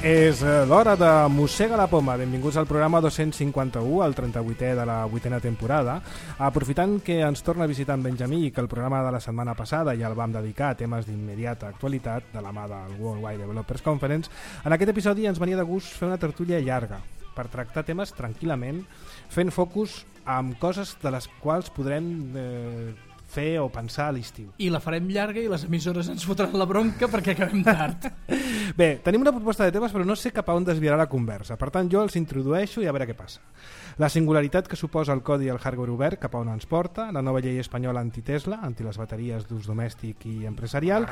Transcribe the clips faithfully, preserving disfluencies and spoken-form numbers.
És l'hora de Mossega la Poma. Benvinguts al programa dos-cents cinquanta-u, el trenta-vuitè de la vuitena temporada. Aprofitant que ens torna a visitar en Benjamí i que el programa de la setmana passada ja el vam dedicar a temes d'immediata actualitat de la mà del World Wide Developers Conference, en aquest episodi ens venia de gust fer una tertúlia llarga per tractar temes tranquil·lament, fent focus amb coses de les quals podrem eh, fer o pensar a l'estiu. I la farem llarga i les emissores ens fotran la bronca perquè acabem tard. Bé, tenim una proposta de temes però no sé cap a on desviarà la conversa. Per tant, jo els introdueixo i a veure què passa. La singularitat que suposa el codi i el hardware obert cap a on ens porta, la nova llei espanyola anti-Tesla, anti les bateries d'ús domèstic i empresarial,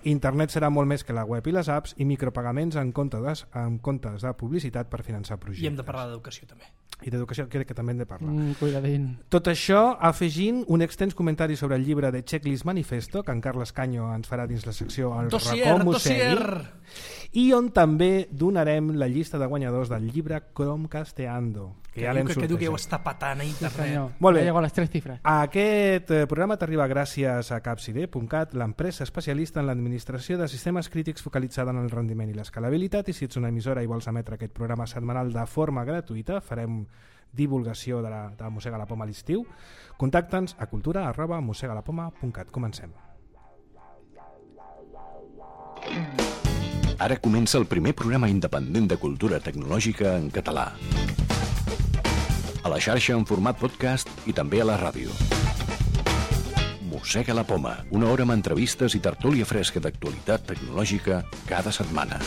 internet serà molt més que la web i les apps i micropagaments en comptes, en comptes de publicitat per finançar projectes. I hem de parlar d'educació també. I d'educació crec que també hem de parlar. Mm, cuidadín. Tot això afegint un extens comentari sobre el llibre de Checklist Manifesto que en Carles Canyo ens farà dins la secció El dossier, racó Mossegui, dossier. i on també donarem la llista de guanyadors del llibre Chromecasteando, que, que ja diu l'hem que, que diu que ja ho sortejat. està patant a Sí, internet. senyor. Molt bé. Ja llego a les tres cifres. Aquest eh, programa t'arriba gràcies a capcide punt cat, l'empresa especialista en l'administració de sistemes crítics focalitzada en el rendiment i l'escalabilitat, i si ets una emissora i vols emetre aquest programa setmanal de forma gratuïta, farem divulgació de, la, de Mossega la Poma a l'estiu. Contacta'ns a cultura arroba mossegalapoma punt cat. Comencem. Ara comença el primer programa independent de cultura tecnològica en català. A la xarxa en format podcast i també a la ràdio. Mossega la Poma, una hora amb entrevistes i tertúlia fresca d'actualitat tecnològica cada setmana.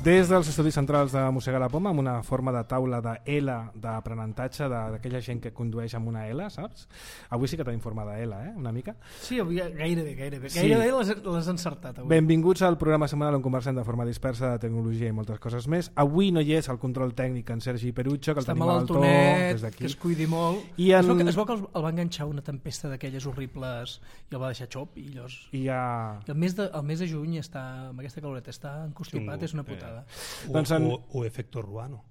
Des dels estudis centrals de Mossega la Poma, amb una forma de taula de L d'aprenentatge d'aquella gent que condueix amb una L, saps? Avui sí que tenim forma de L, eh? Una mica. Sí, avui gairebé, gairebé. Sí. Gairebé les, les encertat avui. Benvinguts al programa setmanal on conversem de forma dispersa de tecnologia i moltes coses més. Avui no hi és el control tècnic en Sergi Perucho, que el Està tenim al to des d'aquí. que es cuidi molt. I en... es, veu que, es veu que el, el va enganxar una tempesta d'aquelles horribles i el va deixar xop i llavors... I ja... I el mes de, el mes de juny està, amb aquesta caloreta està encostipat, Sí, és una eh. putada. O, Doncs en- o, o efecto ruano.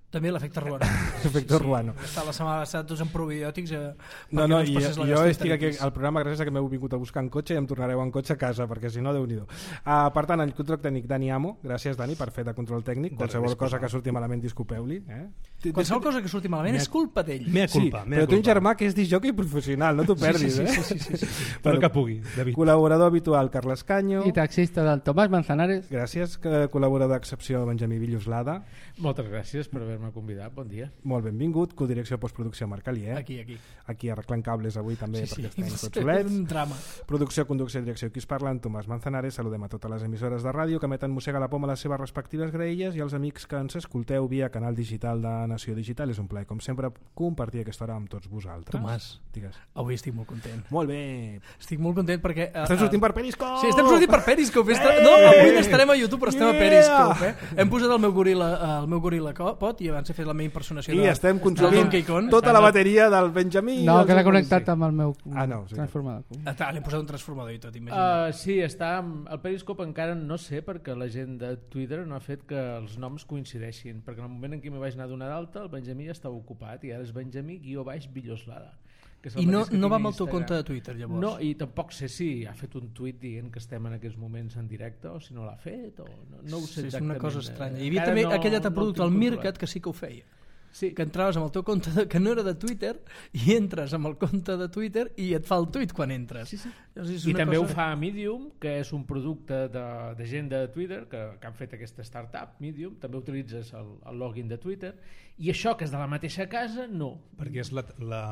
També l'efecte ruano. Efecte ruano. Està la setmana passada tots amb probiòtics. Eh, No, no, i, passés la jo estic aquí gastroenteritis. al programa gràcies a que m'heu vingut a buscar en cotxe i em tornareu en cotxe a casa, perquè si no, Déu-n'hi-do. Uh, per tant, el control tècnic Dani Amo, gràcies Dani per fer de control tècnic, De qualsevol res, cosa disculpa. que surti malament disculpeu-li. Eh? Qualsevol cosa que surti malament Mea- és culpa d'ell. Mea Sí, culpa, mea però té un culpa. germà que és disjockey professional, no t'ho perdis, sí, eh? sí, sí, sí, sí, sí. Però que pugui, David. Col·laborador habitual Carles Canyo, I taxista del Tomàs Manzanares. gràcies, que col·laborador d'excepció Benjamí Villoslada, Moltes gràcies per haver-me convidat, bon dia. molt benvingut, codirecció postproducció Marc Alier, Aquí, aquí. aquí arreglant cables avui també Sí, sí. perquè estem tots És solets. un drama. Producció, conducció i direcció qui us parla, en Tomàs Manzanares. Saludem a totes les emissores de ràdio que emeten Mossega la Poma a les seves respectives graelles i als amics que ens escolteu via canal digital de Nació Digital. És un plaer, com sempre, compartir aquesta hora amb tots vosaltres. Tomàs. Digues. Avui estic molt content. Molt bé. Estic molt content perquè... Uh, Estem sortint per Periscope! Sí, estem sortint per Periscope. Esta... Eh! No, avui no estarem a YouTube, però estem Yeah! a Periscope. Eh? Hem posat el meu goril·la, el meu goril·la pot i abans he fet la meva impersonació I de, estem del consumint Donkey Kong. tota la bateria del Benjamí. i No, del queda seu connectat policia. amb el meu Ah, no, sí. transformador. Ah, tal, L'hem posat un transformador i tot, imagina't. Uh, sí, està amb... el Periscope encara no sé perquè la gent de Twitter no ha fet que els noms coincideixin, perquè en el moment en què m'hi vaig anar a donar d'alta el Benjamí ja estava ocupat i ara és Benjamí guió baix Villoslada. Que és el I no, mateix que no tinc va a amb el teu Instagram. compte de Twitter, llavors? No, i tampoc sé si ha fet un tuit dient que estem en aquests moments en directe o si no l'ha fet o no, no ho sé Sí, és exactament. una cosa estranya. Eh, Hi havia encara també no- aquell altre no ho producte, tinc el controlat. Meerkat, que sí que ho feia. Sí, Que entraves amb el teu compte de, que no era de Twitter i entres amb el compte de Twitter i et fa el tuit quan entres. Sí, sí. Llavors, és I una també cosa... ho fa Medium, que és un producte de, de gent de Twitter que, que han fet aquesta startup, Medium. També utilitzes el, el login de Twitter. I això, que és de la mateixa casa, no. Perquè és la, la,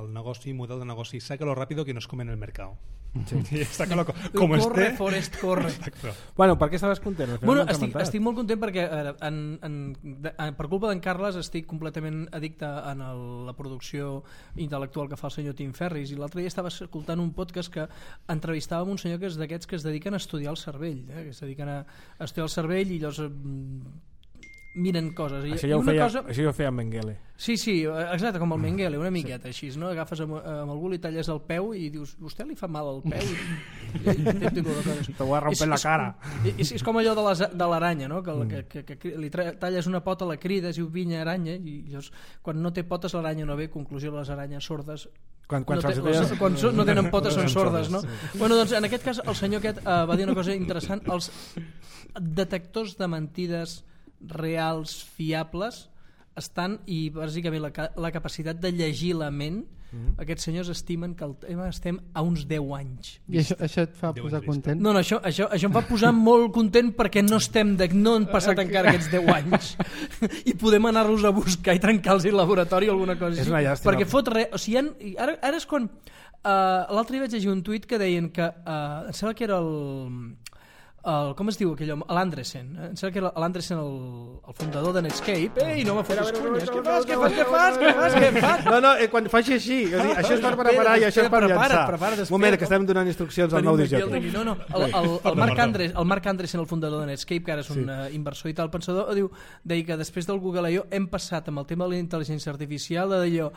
el negoci, model de negoci, sácalo rápido que nos comen el mercado. Sí. Y sácalo co- como corre, esté. Forest, corre. Exacto. Bueno, per què estaves content? Al final Bueno, no ens ha estic, comentat. estic molt content perquè eh, en, en, de, en, per culpa d'en Carles estic completament addicte en el, la producció intel·lectual que fa el senyor Tim Ferris, i l'altre dia estava escoltant un podcast que entrevistava un senyor que és d'aquests que es dediquen a estudiar el cervell, eh, que es dediquen a, a estudiar el cervell i llavors mm, miren coses. I, Això i ja ho una feia, cosa... això ja ho feia en Mengele. Sí, sí, exacte, com el Mengele, una miqueta així, no? Agafes amb, amb algú, li talles el peu i dius, vostè li fa mal al peu? I, i, i, i, i, Te voy a romper la cara. És, és com allò de les- de l'aranya, no? Que, que, que, que, que li tra- talles una pota, la crides i ho vinya aranya, i llavors quan no té potes l'aranya no ve, conclusió, les aranyes sordes Quan, quan no, té, deies... quan so, no tenen potes són sordes, no? Sí. Bueno, doncs en aquest cas el senyor aquest uh, va dir una cosa interessant. Els detectors de mentides reals, fiables, estan, i bàsicament la, la capacitat de llegir la ment, mm. aquests senyors estimen que el tema estem a uns deu anys. I això, això et fa posar content? No, no, això, això, això em fa posar molt content perquè no estem de, no han passat encara aquests deu anys i podem anar-los a buscar i trencar-los el laboratori o alguna cosa és una llàstima. Perquè fot res, o sigui, han, ara, ara és quan uh, l'altre dia vaig llegir un tuit que deien que uh, em sembla que era el El, com es diu aquell home? L'Andresen. Em sembla que era l'Andresen, el, el fundador de Netscape. Ei, no me fotis cunyes. Què fas, què fas, què fas, què fas, què fas? No, no, eh, quan faci així, o sigui, això és per preparar i això és per llançar. Un moment, que estem donant instruccions al nou disc. No, no, el, el, el, Marc Andres, el Marc Andresen, el fundador de Netscape, que ara és un sí. uh, inversor i tal pensador, diu, deia que després del Google I O hem passat amb el tema de la intel·ligència artificial a d'allò.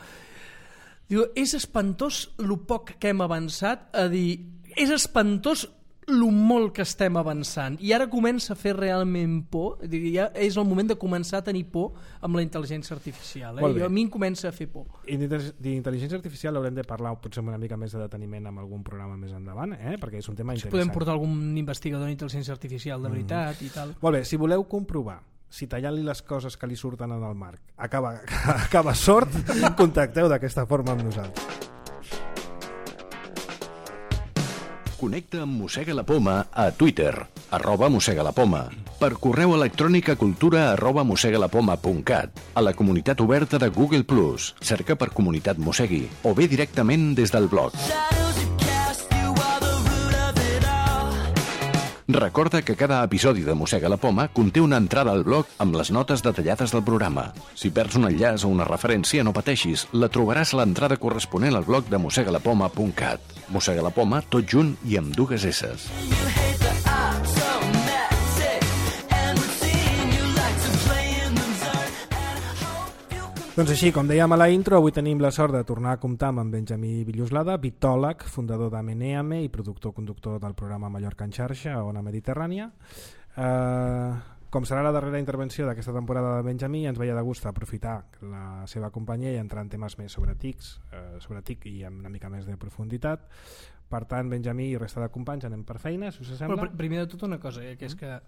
Diu, és espantós lo poc que hem avançat a dir, és espantós lo molt que estem avançant i ara comença a fer realment por, ja és el moment de començar a tenir por amb la intel·ligència artificial, eh? I a mi em comença a fer por. I d'intel·ligència artificial haurem de parlar potser una mica més de deteniment amb algun programa més endavant, eh? Perquè és un tema interessant. Podem portar algun investigador d'intel·ligència artificial de veritat mm. i tal. Molt bé, si voleu comprovar si tallant-li les coses que li surten en el Marc acaba, acaba sort, contacteu d'aquesta forma amb nosaltres. Connecta amb Mossega la Poma a Twitter, arroba Mossega la Poma, per correu electrònic a cultura arroba mossegalapoma punt cat, a la comunitat oberta de Google plus, cerca per Comunitat Mossegui, o bé directament des del blog. Recorda que cada episodi de Mossega la Poma conté una entrada al blog amb les notes detallades del programa. Si perds un enllaç o una referència, no pateixis, la trobaràs a l'entrada corresponent al blog de mossegalapoma punt cat. Mossega la Poma, tot junt i amb dues esses. Doncs així, com dèiem a la intro, avui tenim la sort de tornar a comptar amb en Benjamí Villoslada, vitòleg, fundador de Meneame i productor-conductor del programa Mallorca en xarxa a Ona Mediterrània. Uh, com serà la darrera intervenció d'aquesta temporada de Benjamí, ens veia de gust aprofitar la seva companyia i entrar en temes més sobre tics, uh, sobre tic i amb una mica més de profunditat. Per tant, Benjamí i resta de companys anem per feina, si us sembla. Però primer de tot una cosa, eh, que és que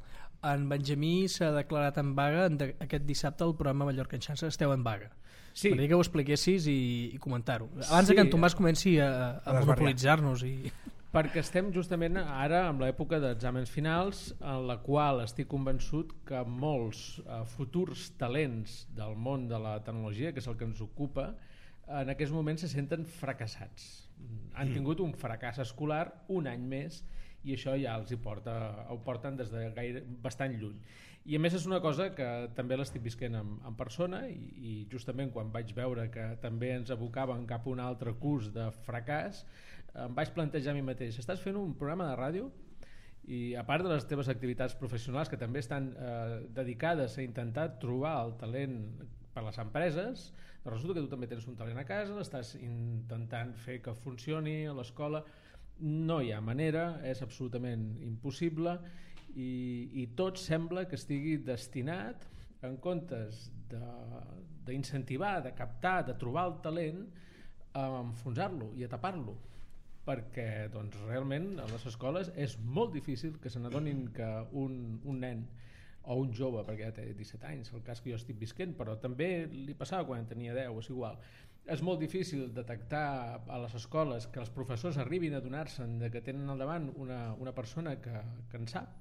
en Benjamí s'ha declarat en vaga aquest dissabte el programa Mallorca en xarxa, esteu en vaga. Sí. M'agradaria que ho expliquessis i, i comentar-ho. Abans sí, que en Tomàs comenci a, a, a monopolitzar-nos. I... Perquè estem justament ara en l'època d'exàmens finals, en la qual estic convençut que molts uh, futurs talents del món de la tecnologia, que és el que ens ocupa, en aquests moments se senten fracassats. Han tingut un fracàs escolar un any més i això ja els hi porta, ho porten des de gaire, bastant lluny. I a més és una cosa que també l'estic visquent en, en persona i, i justament quan vaig veure que també ens abocaven cap a un altre curs de fracàs, em vaig plantejar a mi mateix, estàs fent un programa de ràdio i a part de les teves activitats professionals que també estan eh, dedicades a intentar trobar el talent per les empreses, doncs resulta que tu també tens un talent a casa, l'estàs intentant fer que funcioni a l'escola, no hi ha manera, és absolutament impossible i, i tot sembla que estigui destinat, en comptes d'incentivar, de, de captar, de trobar el talent, a enfonsar-lo i a tapar-lo, perquè doncs, realment a les escoles és molt difícil que se n'adonin que un, un nen o un jove, perquè ja té disset anys, el cas que jo estic visquent, però també li passava quan tenia deu, és igual. És molt difícil detectar a les escoles que els professors arribin a donar-se'n que tenen al davant una, una persona que, que en sap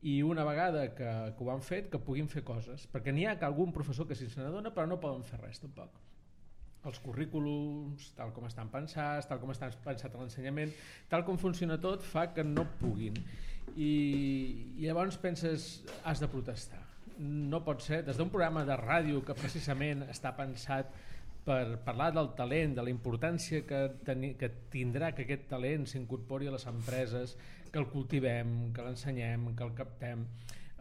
i una vegada que, que ho han fet que puguin fer coses, perquè n'hi ha algun professor que sí se n'adona però no poden fer res tampoc. Els currículums, tal com estan pensats, tal com estan pensat a l'ensenyament, tal com funciona tot fa que no puguin i, i llavors penses has de protestar. No pot ser, des d'un programa de ràdio que precisament està pensat per parlar del talent, de la importància que, teni, que tindrà que aquest talent s'incorpori a les empreses, que el cultivem, que l'ensenyem, que el captem.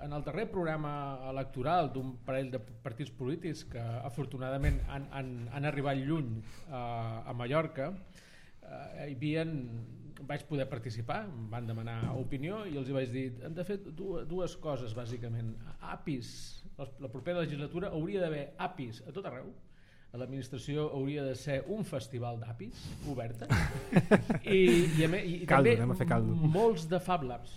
En el darrer programa electoral d'un parell de partits polítics que afortunadament han, han, han arribat lluny eh, a Mallorca, eh, hi havien, vaig poder participar, em van demanar opinió i els hi vaig dir, hem de fer dues coses bàsicament. A P Is, la propera legislatura hauria d'haver A P Is a tot arreu, l'administració hauria de ser un festival d'apis oberta i, i, a, i caldo, també molts de Fab Labs,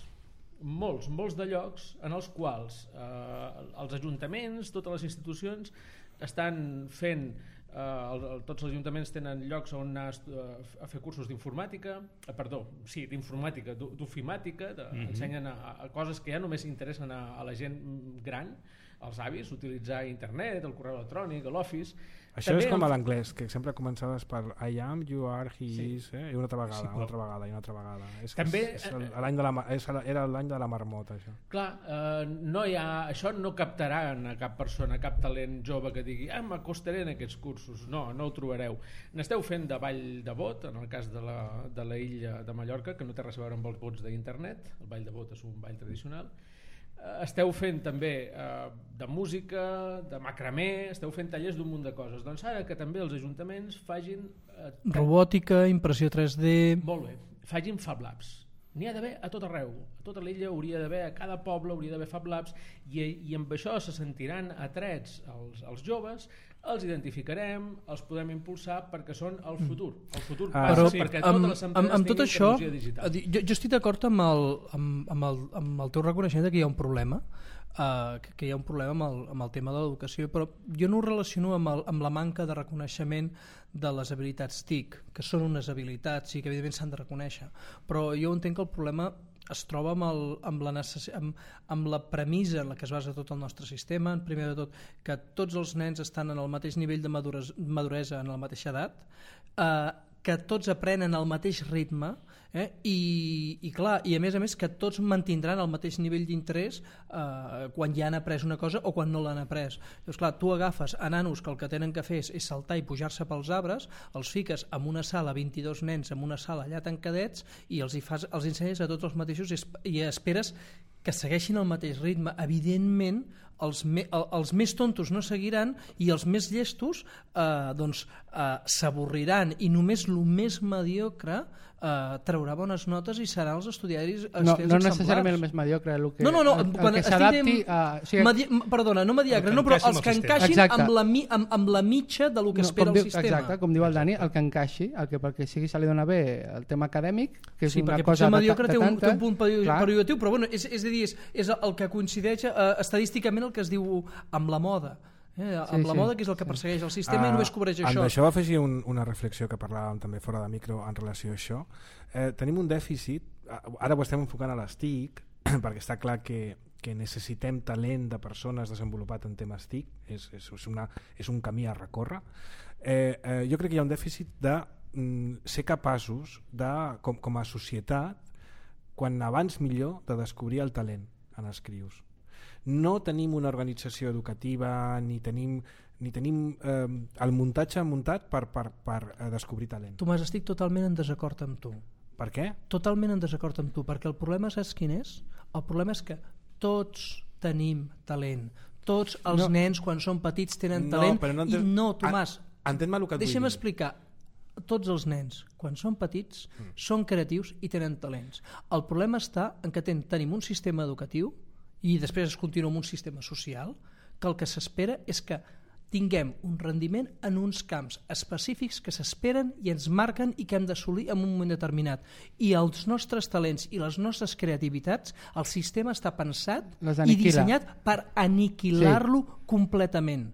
molts, molts de llocs en els quals eh, els ajuntaments, totes les institucions estan fent Uh, el, el, tots els ajuntaments tenen llocs on anar a, a fer cursos d'informàtica, uh, perdó, sí, d'informàtica, d'ofimàtica, de, mm-hmm. ensenyen a, a coses que ja només interessen a, a la gent gran, als avis, utilitzar internet, el correu electrònic, l'Office. Això també és com a l'anglès, que sempre començaves per I am, you are, he sí. is, eh? i una altra vegada, sí, una altra vegada, i una altra vegada. És, també, és, és l'any de la, és, era l'any de la marmota, això. Clar, eh, no hi ha, això no captarà a cap persona, cap talent jove que digui ah, m'acostaré en aquests cursos. No, no ho trobareu. N'esteu fent de ball de bot, en el cas de la, de la illa de Mallorca, que no té res a veure amb els bots d'internet. El ball de bot és un ball tradicional. Esteu fent també eh, de música, de macramé, esteu fent tallers d'un munt de coses. Doncs ara que també els ajuntaments fagin... Eh, robòtica, impressió tres D... Molt bé, fagin Fab Labs. N'hi ha d'haver a tot arreu. A tota l'illa hauria d'haver, a cada poble hauria d'haver Fab Labs i, i amb això se sentiran atrets els, els joves, els identificarem, els podem impulsar perquè són el futur. El futur ah, passa sí. perquè amb, totes les empreses amb, amb tot tinguin això, tecnologia digital. Jo, jo estic d'acord amb el, amb, amb, el, amb el teu reconeixement que hi ha un problema, uh, que, que hi ha un problema amb el, amb el tema de l'educació, però jo no ho relaciono amb, el, amb la manca de reconeixement de les habilitats T I C, que són unes habilitats i que evidentment s'han de reconèixer, però jo entenc que el problema es troba amb, el, amb, la necess... amb, amb la premissa en la que es basa tot el nostre sistema, en primer de tot que tots els nens estan en el mateix nivell de madures... maduresa en la mateixa edat, eh, que tots aprenen al mateix ritme, eh? I, i clar, i a més a més que tots mantindran el mateix nivell d'interès eh, quan ja han après una cosa o quan no l'han après. Llavors clar, tu agafes a nanos que el que tenen que fer és, és saltar i pujar-se pels arbres, els fiques en una sala, vint-i-dos nens en una sala allà tancadets i els, hi fas, els ensenyes a tots els mateixos i, i esperes que segueixin el mateix ritme. Evidentment els, me, els més tontos no seguiran i els més llestos eh, doncs, eh, s'avorriran i només el més mediocre eh, traurà bones notes i seran els estudiaris no, no necessàriament el més mediocre el que, no, no, no, el, el que s'adapti a... O sigui, medi, perdona, no mediocre, no, però els que encaixin amb la, amb, amb la mitja del que no, espera el diu, sistema. Exacte, com diu el Dani, el que encaixi, el que perquè sigui se li dona bé el tema acadèmic, que és sí, una cosa de, mediocre de té un, tanta... té un punt pejoratiu, però bueno, és, és a dir, és, és el que coincideix eh, estadísticament el que es diu amb la moda. Eh, amb sí, la sí, moda, que és el que sí. persegueix el sistema uh, i només cobreix això. Amb això va afegir un, una reflexió que parlàvem també fora de micro en relació a això. Eh, tenim un dèficit, ara ho estem enfocant a les T I C, perquè està clar que, que necessitem talent de persones desenvolupat en temes T I C, és, és, és, una, és un camí a recórrer. Eh, eh, jo crec que hi ha un dèficit de mm, ser capaços, de, com, com a societat, quan abans millor, de descobrir el talent en els crios. No tenim una organització educativa ni tenim, ni tenim eh, el muntatge muntat per, per, per eh, descobrir talent. Tomàs, estic totalment en desacord amb tu. Per què? Totalment en desacord amb tu, perquè el problema saps quin és? El problema és que tots tenim talent. Tots els no. nens quan són petits tenen no, talent no i no, Tomàs, entén-me el que et deixa'm vull dir. explicar. Tots els nens, quan són petits, mm. són creatius i tenen talents. El problema està en que ten, tenim un sistema educatiu i després es continua amb un sistema social que el que s'espera és que tinguem un rendiment en uns camps específics que s'esperen i ens marquen i que hem d'assolir en un moment determinat. I els nostres talents i les nostres creativitats, el sistema està pensat i dissenyat per aniquilar-lo sí. completament.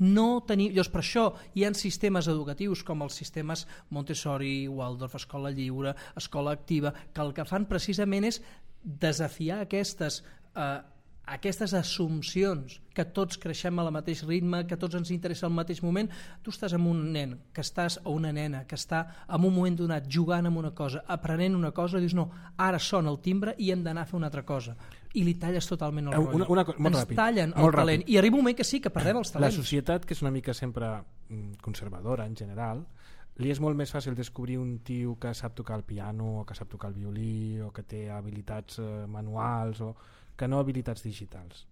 No tenim, llavors per això hi ha sistemes educatius com els sistemes Montessori, Waldorf, Escola Lliure, Escola Activa, que el que fan precisament és desafiar aquestes, eh, aquestes assumpcions que tots creixem al mateix ritme, que tots ens interessa al mateix moment. Tu estàs amb un nen que estàs, o una nena que està en un moment donat jugant amb una cosa, aprenent una cosa, i dius no, ara sona el timbre i hem d'anar a fer una altra cosa. I li talles totalment el rotllo. Una, una, molt ens ràpid, tallen el molt talent. Ràpid. I arriba un moment que sí, que perdem els talents. La societat, que és una mica sempre conservadora en general, li és molt més fàcil descobrir un tio que sap tocar el piano o que sap tocar el violí o que té habilitats eh, manuals o que no habilitats digitals.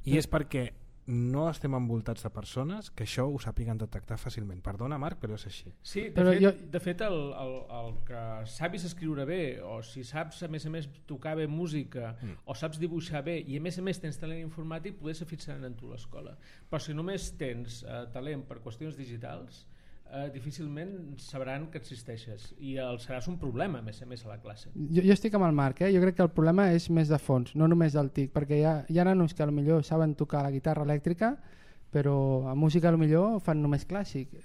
I és perquè no estem envoltats de persones que això ho sàpiguen detectar fàcilment. Perdona, Marc, però és així. Sí, de Però fet, jo- de fet el, el, el que saps escriure bé, o si saps a més a més tocar bé música, mm. o saps dibuixar bé, i a més a més tens talent informàtic, poder se fixaran en tu a l'escola. Però si només tens eh, talent per qüestions digitals, eh, difícilment sabran que existeixes, i el seràs un problema a més a més a la classe. Jo, jo estic amb el Marc, eh? Jo crec que el problema és més de fons, no només del T I C, perquè hi ha, hi ha nanos que potser saben tocar la guitarra elèctrica, però a música potser fan només clàssic.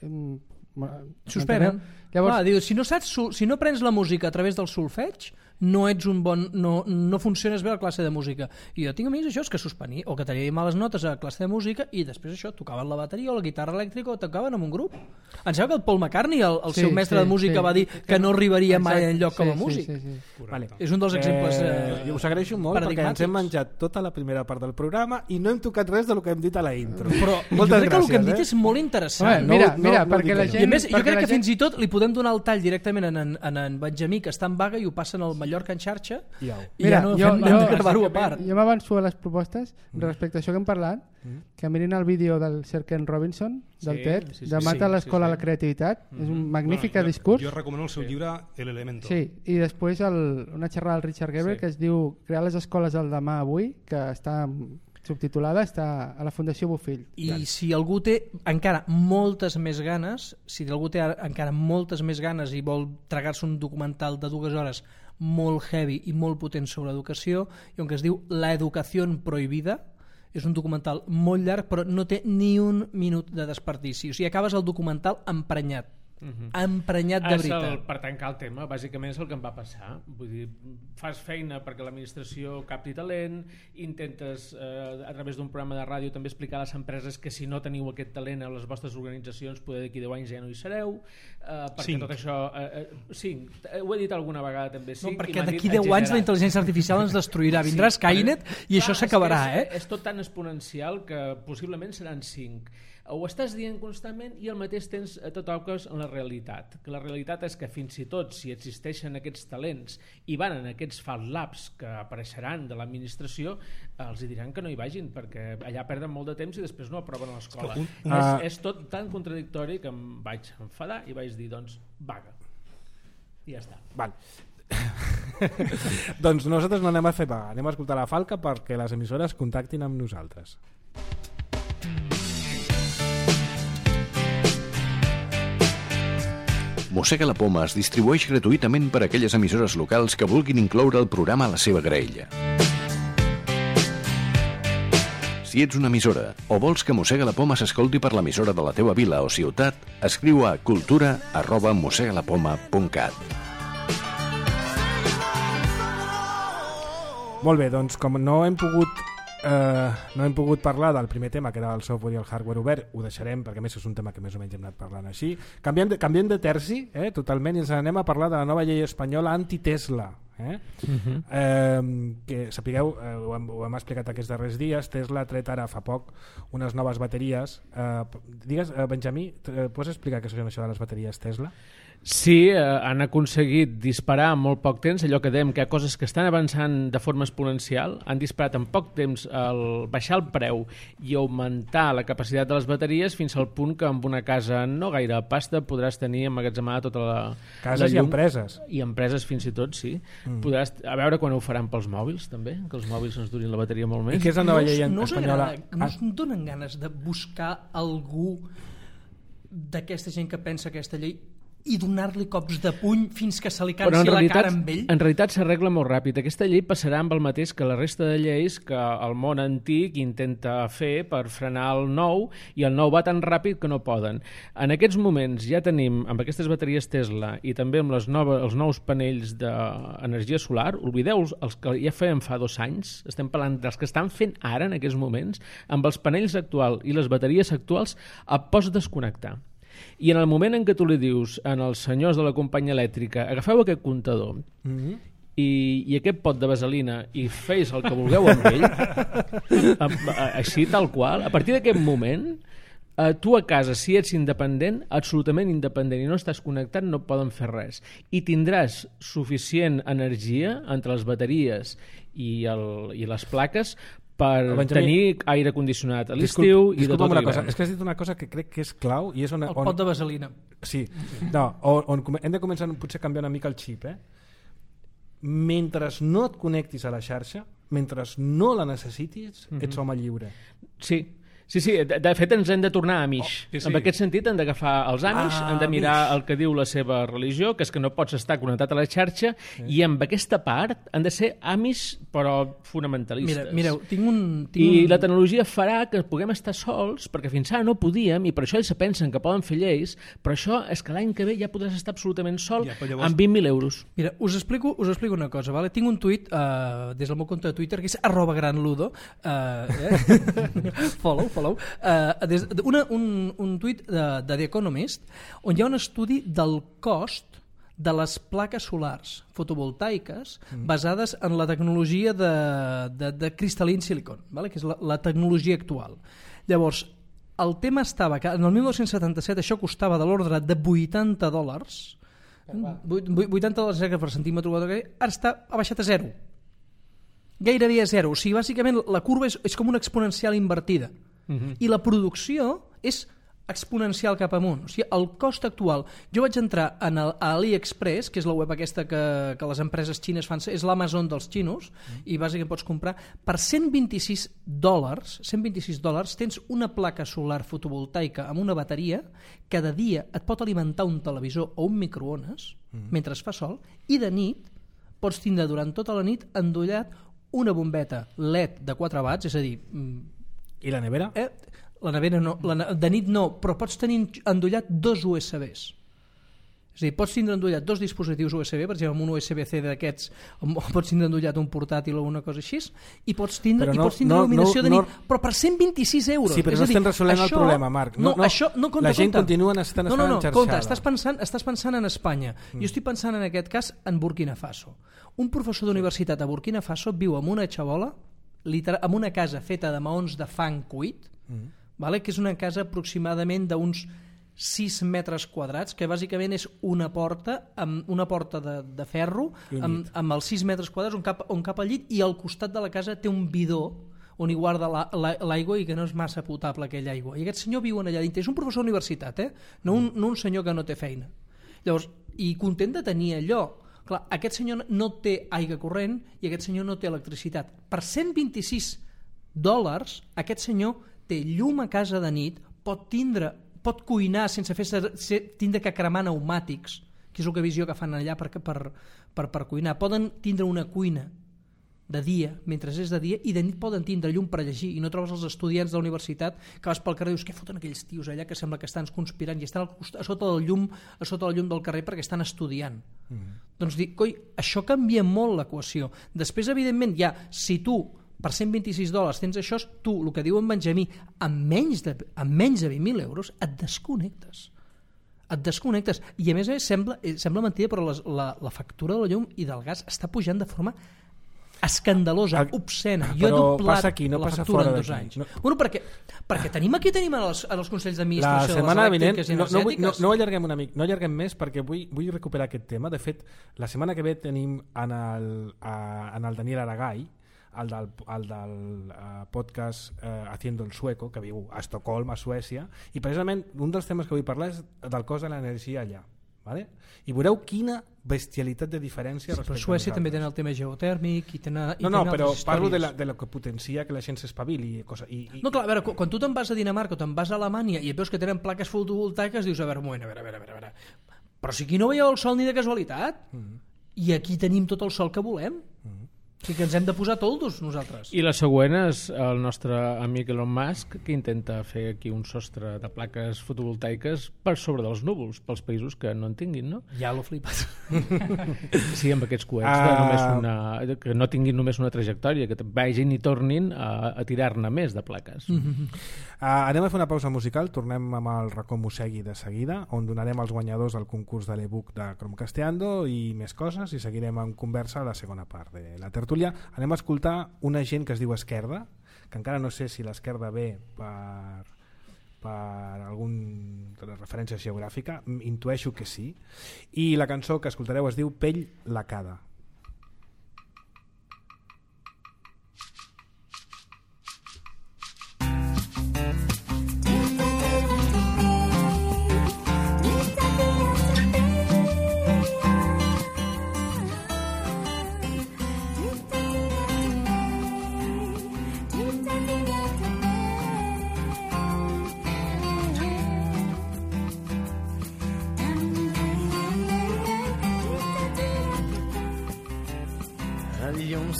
Suspenen. Llavors, Clar, diu, si no saps, si no prens la música a través del solfeig, no ets un bon, no, no funciones bé a la classe de música. I jo tinc amics això, és que suspenia, o que tenia males notes a la classe de música i després això, tocaven la bateria o la guitarra elèctrica o tocaven en un grup. Em sembla que el Paul McCartney, el, el sí, seu mestre sí, de música, sí. va dir que no arribaria mai exacte, enlloc com a sí, músic. Sí, sí, sí. Vale. És un dels exemples eh, Eh, us agraeixo molt perquè ens hem menjat tota la primera part del programa i no hem tocat res del que hem dit a la intro. Però jo Moltes crec que el que hem gràcies, dit eh? és molt interessant. Home, mira, no- mira, no perquè dic la que no. gent... I a més, jo perquè crec la que gent- fins i tot li podem donar el tall directament en, en, en, en Benjamí, que està en vaga, i ho passen al Mallorca en xarxa, I au. i ja no jo, fem, jo, hem de gravar-ho a part. Jo m'avanço a les propostes respecte a això que hem parlat, que mirin el vídeo del Sir Ken Robinson, del Sí, TED, sí, sí, de Mata sí, l'escola sí, sí. a la creativitat. És un magnífic Bueno, jo- discurs. Jo recomano el seu llibre El Elemento. Sí, i després el, una xerrada del Richard Gebel Sí. que es diu Crear les escoles del demà avui, que està subtitulada, està a la Fundació Bofill. I si algú té encara moltes més ganes, si algú té encara moltes més ganes i vol tragar-se un documental de dues hores molt heavy i molt potent sobre educació, i on que es diu La educació prohibida, és un documental molt llarg però no té ni un minut de desperdici, o sigui, acabes el documental emprenyat. Uh-huh. Emprenyat de És veritat. el, per tancar el tema, bàsicament és el que em va passar. Vull dir, fas feina perquè l'administració capti talent, intentes eh, a través d'un programa de ràdio també explicar a les empreses que si no teniu aquest talent a les vostres organitzacions poder d'aquí deu anys ja no hi sereu, eh, perquè Cinc. tot això eh, eh, cinc, eh, ho he dit alguna vegada també cinc, No, i perquè m'han d'aquí dit deu anys la exagerat. intel·ligència artificial ens destruirà. Vindrà Sí, Skynet i això Clar, s'acabarà, és, que eh? és, és tot tan exponencial que possiblement seran cinc. Ho estàs dient constantment i al mateix temps te toques en la realitat, que la realitat és que fins i tot si existeixen aquests talents i van en aquests Fab Labs que apareixeran de l'administració, els hi diran que no hi vagin perquè allà perden molt de temps i després no aproven a l'escola. És que un- És, Ah. és tot tan contradictori que em vaig enfadar i vaig dir, doncs, vaga. I ja està. Val. Doncs nosaltres no anem a fer vaga, anem a escoltar la falca perquè les emissores contactin amb nosaltres. Mossega la Poma es distribueix gratuïtament per a aquelles emissores locals que vulguin incloure el programa a la seva graella. Si ets una emissora o vols que Mossega la Poma s'escolti per l'emissora de la teva vila o ciutat, escriu a cultura arroba mossegalapoma punt cat. Molt bé, doncs com no hem pogut eh, no hem pogut parlar del primer tema, que era el software i el hardware obert, ho deixarem perquè a més és un tema que més o menys hem anat parlant així. Canviem de, canviem de terci, eh, totalment, i ens anem a parlar de la nova llei espanyola anti-Tesla. Eh? Uh-huh. eh, que sapigueu, eh, ho, hem, ho hem explicat aquests darrers dies, Tesla ha tret ara fa poc unes noves bateries. Eh, digues, eh, Benjamí, eh, pots explicar què són això de les bateries Tesla? Sí, eh, han aconseguit disparar en molt poc temps, allò que dèiem que hi ha coses que estan avançant de forma exponencial, han disparat en poc temps el baixar el preu i augmentar la capacitat de les bateries fins al punt que amb una casa no gaire pasta podràs tenir emmagatzemada tota la, Cases la i llum. empreses. I empreses fins i tot, sí. Mm. Podràs, a veure quan ho faran pels mòbils també, que els mòbils ens durin la bateria molt més. I què és la nova no, us- llei no us espanyola? agrada, no us donen ganes de buscar algú d'aquesta gent que pensa aquesta llei i donar-li cops de puny fins que se li Però cansi en la realitat, cara amb ell? en realitat s'arregla molt ràpid. Aquesta llei passarà amb el mateix que la resta de lleis que el món antic intenta fer per frenar el nou, i el nou va tan ràpid que no poden. En aquests moments ja tenim, amb aquestes bateries Tesla i també amb les noves, els nous panells d'energia solar, oblideu els, els que ja feien fa dos anys, estem parlant dels que estan fent ara en aquests moments, amb els panells actuals i les bateries actuals et pots desconnectar. I en el moment en què tu li dius als senyors de la companyia elèctrica agafeu aquest comptador Mm-hmm. i, i aquest pot de vaselina i feis el que vulgueu amb ell, a, a, així tal qual, a partir d'aquest moment eh, tu a casa, si ets independent, absolutament independent i no estàs connectat, no poden fer res, i tindràs suficient energia entre les bateries i, el, i les plaques per Benjamí, tenir aire condicionat a l'estiu i de tot una l'hivern. cosa, és que has dit una cosa que crec que és clau i és on, El on, pot de vaselina. sí, no, on, on come- hem de començar potser a canviar una mica el xip, eh? Mentre no et connectis a la xarxa, mentre no la necessitis, Mhm. ets home lliure. Sí, sí, sí, de, de fet ens hem de tornar Amish. Oh, sí, sí. En aquest sentit hem d'agafar els Amish, Ah, hem de mirar Amish. el que diu la seva religió, que és que no pots estar connectat a la xarxa, i amb aquesta part han de ser Amish però fonamentalistes. Mira, mireu, tinc un... Tinc I un... la tecnologia farà que puguem estar sols, perquè fins ara no podíem, i per això ells se pensen que poden fer lleis, però això és que l'any que ve ja podràs estar absolutament sol Ja, però llavors- amb vint mil euros. Mira, us explico, us explico una cosa, vale? Tinc un tuit uh, des del meu compte de Twitter que és arroba granludo, uh, eh? follow, follow, uh, des, de- una, un, un tuit de, de The Economist on hi ha un estudi del cost de les plaques solars fotovoltaiques mm. basades en la tecnologia de, de, de cristal·lin silicon, vale? Que és la, la tecnologia actual. Llavors, el tema estava que en el dinou setanta-set això costava de l'ordre de vuitanta dòlars, vuitanta dòlars per centímetre quadrat, ara està, ha baixat a zero. Gairebé a zero. O sigui, bàsicament la curva és, és com una exponencial invertida. Uh-huh. I la producció és exponencial cap amunt. O sigui, el cost actual... Jo vaig entrar en el, a AliExpress, que és la web aquesta que, que les empreses xines fan, és l'Amazon dels xinos, mm. i bàsicament pots comprar per cent vint-i-sis dòlars, cent vint-i-sis dòlars, tens una placa solar fotovoltaica amb una bateria que de dia et pot alimentar un televisor o un microones mm. mentre es fa sol, i de nit pots tindre durant tota la nit endollat una bombeta L E D de quatre watts, és a dir... I la nevera? Eh, la nevera no, la, ne- de nit no, però pots tenir endollat dos U S Bs. És a dir, pots tindre endollat dos dispositius U S B, per exemple, amb un U S B C d'aquests, o pots tindre endollat un portàtil o una cosa així, i pots tindre, Però i no- pots tindre no- il·luminació no- de nit, no- però per cent vint-i-sis euros. Sí, però És no a dir, estem resolent el això- problema, Marc. No, No, no. això, no, compte, La gent compte. continua estant- no, no, no, estant compte, enxarxada. estàs pensant, estàs pensant en Espanya. Mm. Jo estic pensant en aquest cas en Burkina Faso. Un professor d'universitat a Burkina Faso viu en una xabola, literal, en una casa feta de maons de fang cuit, mm. vale? Que és una casa aproximadament d'uns sis metres quadrats, que bàsicament és una porta amb una porta de, de ferro amb, amb els sis metres quadrats on cap, on cap al llit, i al costat de la casa té un bidó on hi guarda la, la, l'aigua, i que no és massa potable aquella aigua. I aquest senyor viu en allà dintre. És un professor d'universitat, eh? no, un, no un senyor que no té feina. Llavors, i content de tenir allò. Clar, aquest senyor no té aigua corrent i aquest senyor no té electricitat. Per cent vint-i-sis dòlars, aquest senyor té llum a casa de nit, pot tindre, pot cuinar sense fer ser, tindre que cremar pneumàtics, que és el que visió que fan allà per, per, per, per cuinar. Poden tindre una cuina de dia, mentre és de dia, i de nit poden tindre llum per llegir, i no trobes els estudiants de la universitat que vas pel carrer i dius, què foten aquells tios allà que sembla que estan conspirant, i estan al cost- a sota del llum a sota del llum del carrer perquè estan estudiant. Mm. Doncs dic, coi, això canvia molt l'equació. Després, evidentment, ja, si tu per cent vint-i-sis dòlars tens això, tu, el que diu en Benjamí, amb menys de, amb menys de vint mil euros et desconnectes. Et desconnectes. I a més a més sembla, eh, sembla mentida, però les, la, la factura de la llum i del gas està pujant de forma escandalosa, El- obscena. Jo he Però doblat passa aquí, no la passa factura fora en dos d'aquí. anys. No. Bueno, perquè, perquè tenim aquí tenim els, els consells La d'administració de les setmana vinent, elèctriques i no, no, vull- no, energètiques. no ho allarguem una mica, no allarguem més perquè vull, vull recuperar aquest tema. De fet, la setmana que ve tenim en el, a, en el Daniel Aragay, el del, el del uh, podcast uh, Haciendo el Sueco, que viu a Estocolm, a Suècia, i precisament un dels temes que vull parlar és del cost de l'energia allà. Vale? I veureu quina bestialitat de diferència Sí, però respecte Suècia a també nosaltres. tenen el tema geotèrmic i tenen, i No, no, tenen però altres parlo de, la, històries. de lo que potencia que la gent s'espavili. I cosa, i, i, No, clar, a veure, quan tu te'n vas a Dinamarca o te'n vas a Alemanya i et veus que tenen plaques fotovoltaiques, dius, a veure, un moment, a veure, a veure, a veure, a veure. Però si aquí no veieu el sol ni de casualitat, mm. i aquí tenim tot el sol que volem. Mm. O sigui que ens hem de posar toldos nosaltres. I la següent és el nostre amic Elon Musk, que intenta fer aquí un sostre de plaques fotovoltaiques per sobre dels núvols, pels països que no en tinguin, no? Ja l'ho flipat. Sí, amb aquests coets, Ah. de només una, que no tinguin només una trajectòria, que vagin i tornin a, a tirar-ne més de plaques. Mm-hmm. Uh, anem a fer una pausa musical, tornem amb el racó Mossegui de seguida, on donarem els guanyadors del concurs de l'e-book de Chromcasteando i més coses, i seguirem en conversa a la segona part de la tertúlia. Anem a escoltar una gent que es diu Esquerda, que encara no sé si l'Esquerda ve per, per alguna referència geogràfica, intueixo que sí, i la cançó que escoltareu es diu Pell lacada.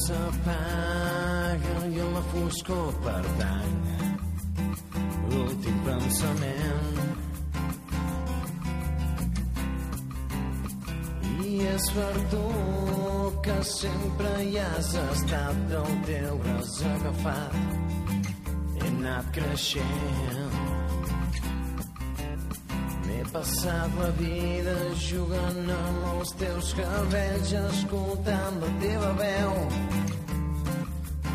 s'apaga i en la foscor pertany l'últim pensament. I és per tu que sempre hi has estat, del teu braç agafat he anat creixent. M'he passat la vida jugant amb els teus cabells, escoltant la teva veu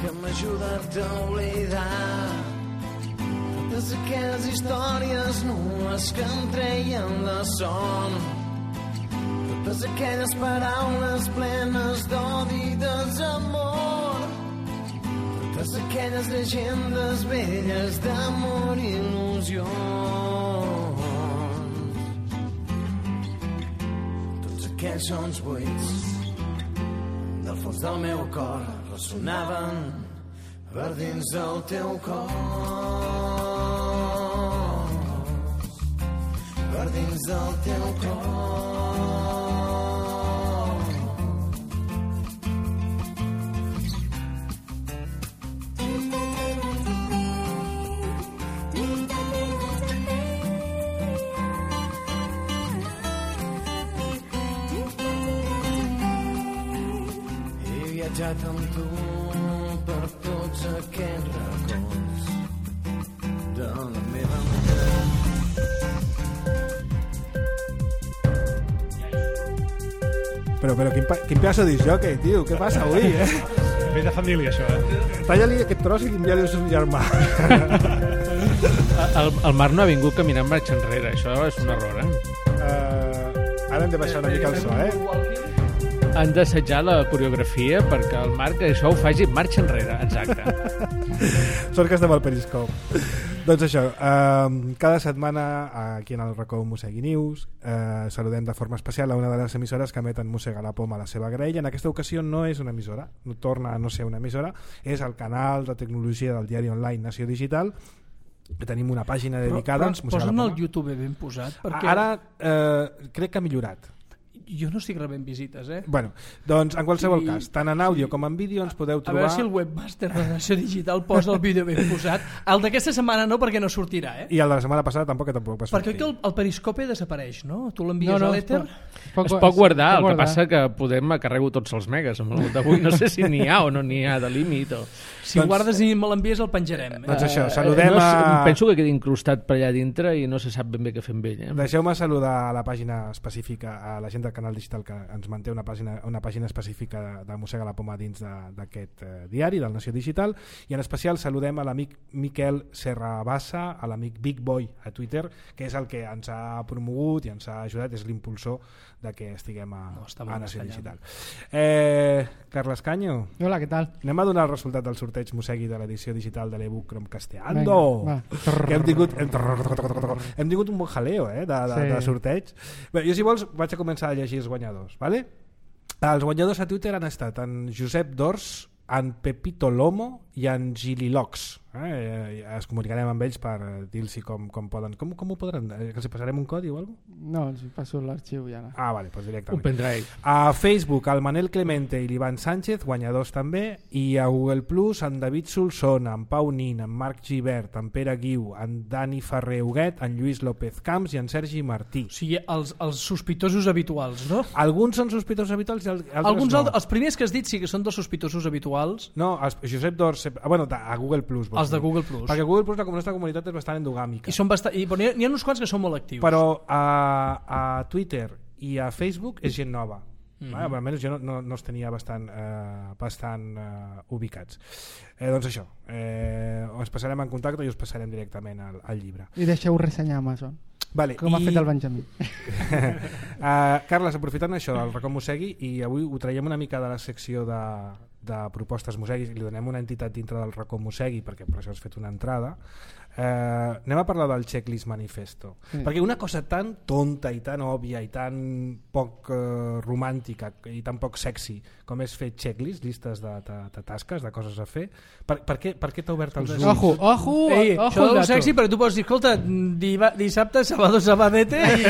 que m'ha ajudat a oblidar totes aquelles històries nues que em treien la son, totes aquelles paraules plenes d'odi i desamor, totes aquelles llegendes velles d'amor i il·lusions. Aquells sons buits del fons del meu cor ressonaven per dins del teu cos, per dins del teu cos. Viatjat amb tu per tots aquests racons de la meva ment. Però, però quin, quin pedaço de jockey, tio, què passa avui, eh? Ve de família, això, eh? Talla-li aquest tros i envia-li al seu germà. El, el Marc no ha vingut caminant marxa enrere, això és un error, eh? Uh, ara hem de baixar una mica el so, eh? Han d'assajar la coreografia perquè el Marc això ho faci marxa enrere, exacte. Sort que estem al Periscope. Doncs això, eh, cada setmana aquí en el racó Mossegui News eh, saludem de forma especial a una de les emissores que emeten Mossega la Poma a la seva graella. En aquesta ocasió no és una emissora, no torna a no ser una emissora, és el canal de tecnologia del diari online Nació Digital, que tenim una pàgina dedicada. Però, però ens posen el YouTube ben posat, perquè ara eh, crec que ha millorat. Jo no estic rebent visites, eh? Bueno, doncs en qualsevol I, cas, tant en àudio sí. com en vídeo ens podeu trobar... A veure si el webmaster de Nació Digital posa el vídeo ben posat. El d'aquesta setmana no, perquè no sortirà, eh? I el de la setmana passada tampoc, tampoc va sortir. Perquè el, el periscope desapareix, no? Tu l'envies no, no, a l'èter? Es, es pot, es pot guardar, el que passa que podem carrego tots els megas amb el d'avui. No sé si n'hi ha o no n'hi ha de límit o... Si doncs, guardes i me l'envies el penjarem. Eh? Doncs això, saludem no, a... Penso que quedi incrustat per allà dintre i no se sap ben bé què fer amb ell. Eh? Deixeu-me saludar a la pàgina específica, a la gent del canal digital que ens manté una pàgina, una pàgina específica de, de Mossega la Poma dins d'aquest eh, diari, del Nació Digital, i en especial saludem a l'amic Miquel Serrabassa, a l'amic Big Boy a Twitter, que és el que ens ha promogut i ens ha ajudat, és l'impulsor de que estiguem a, no, a Nació Digital. Eh, Carles Canyo. Hola, què tal? Anem a donar el resultat del sorteig Mossegui de l'edició digital de l'ebook Chromecast-eando, que hem tingut, hem, hem tingut un bon jaleo eh, de, de, sí. de sorteig. Bé, jo si vols vaig a començar a llegir els guanyadors, vale? Els guanyadors a Twitter han estat en Josep Dors, en Pepito Lomo i en Gililox. Eh? Es comunicarem amb ells per dir-los com, com poden. Com, com ho podran? Que els passarem un codi o alguna cosa? No, els passo l'arxiu ja. No. Ah, vale, doncs directament. Un pendrive. A Facebook, el Manel Clemente i l'Ivan Sánchez, guanyadors també, i a Google Plus, en David Solsona, en Pau Nin, en Marc Givert, en Pere Guiu, en Dani Ferrer Huguet, en Lluís López Camps i en Sergi Martí. O sigui, els, els sospitosos habituals, no? Alguns són sospitosos habituals i altres Alguns no. Els primers que has dit sí que són dos sospitosos habituals. No, els, Josep Dors, bueno, a Google Plus. Els de Google Plus. Perquè Google Plus, la nostra comunitat és bastant endogàmica. I són bastant, i, n'hi, ha, n'hi ha uns quants que són molt actius. Però a, a Twitter i a Facebook és gent nova. Mm-hmm. Ah, almenys jo no, no, no els tenia bastant, eh, bastant eh, ubicats. Eh, doncs això, eh, us passarem en contacte i us passarem directament al, al llibre. I deixeu ressenyar a Amazon. Vale, com i... ha fet el Benjamí. uh, Carles, aprofitant això del racó Mossegui, i avui ho traiem una mica de la secció de, de propostes Mossegui, li donem una entitat dintre del racó Mossegui perquè per això has fet una entrada. Uh, anem a parlar del Checklist Manifesto, sí. Perquè una cosa tan tonta i tan òbvia i tan poc uh, romàntica i tan poc sexy com és fer checklist, llistes de, de, de tasques, de coses a fer, per, per què, per què t'ha obert els ulls? Ojo, ojo, Ei, ojo, això és sexy perquè tu pots dir, escolta, diva, dissabte, sábado, sabadete i...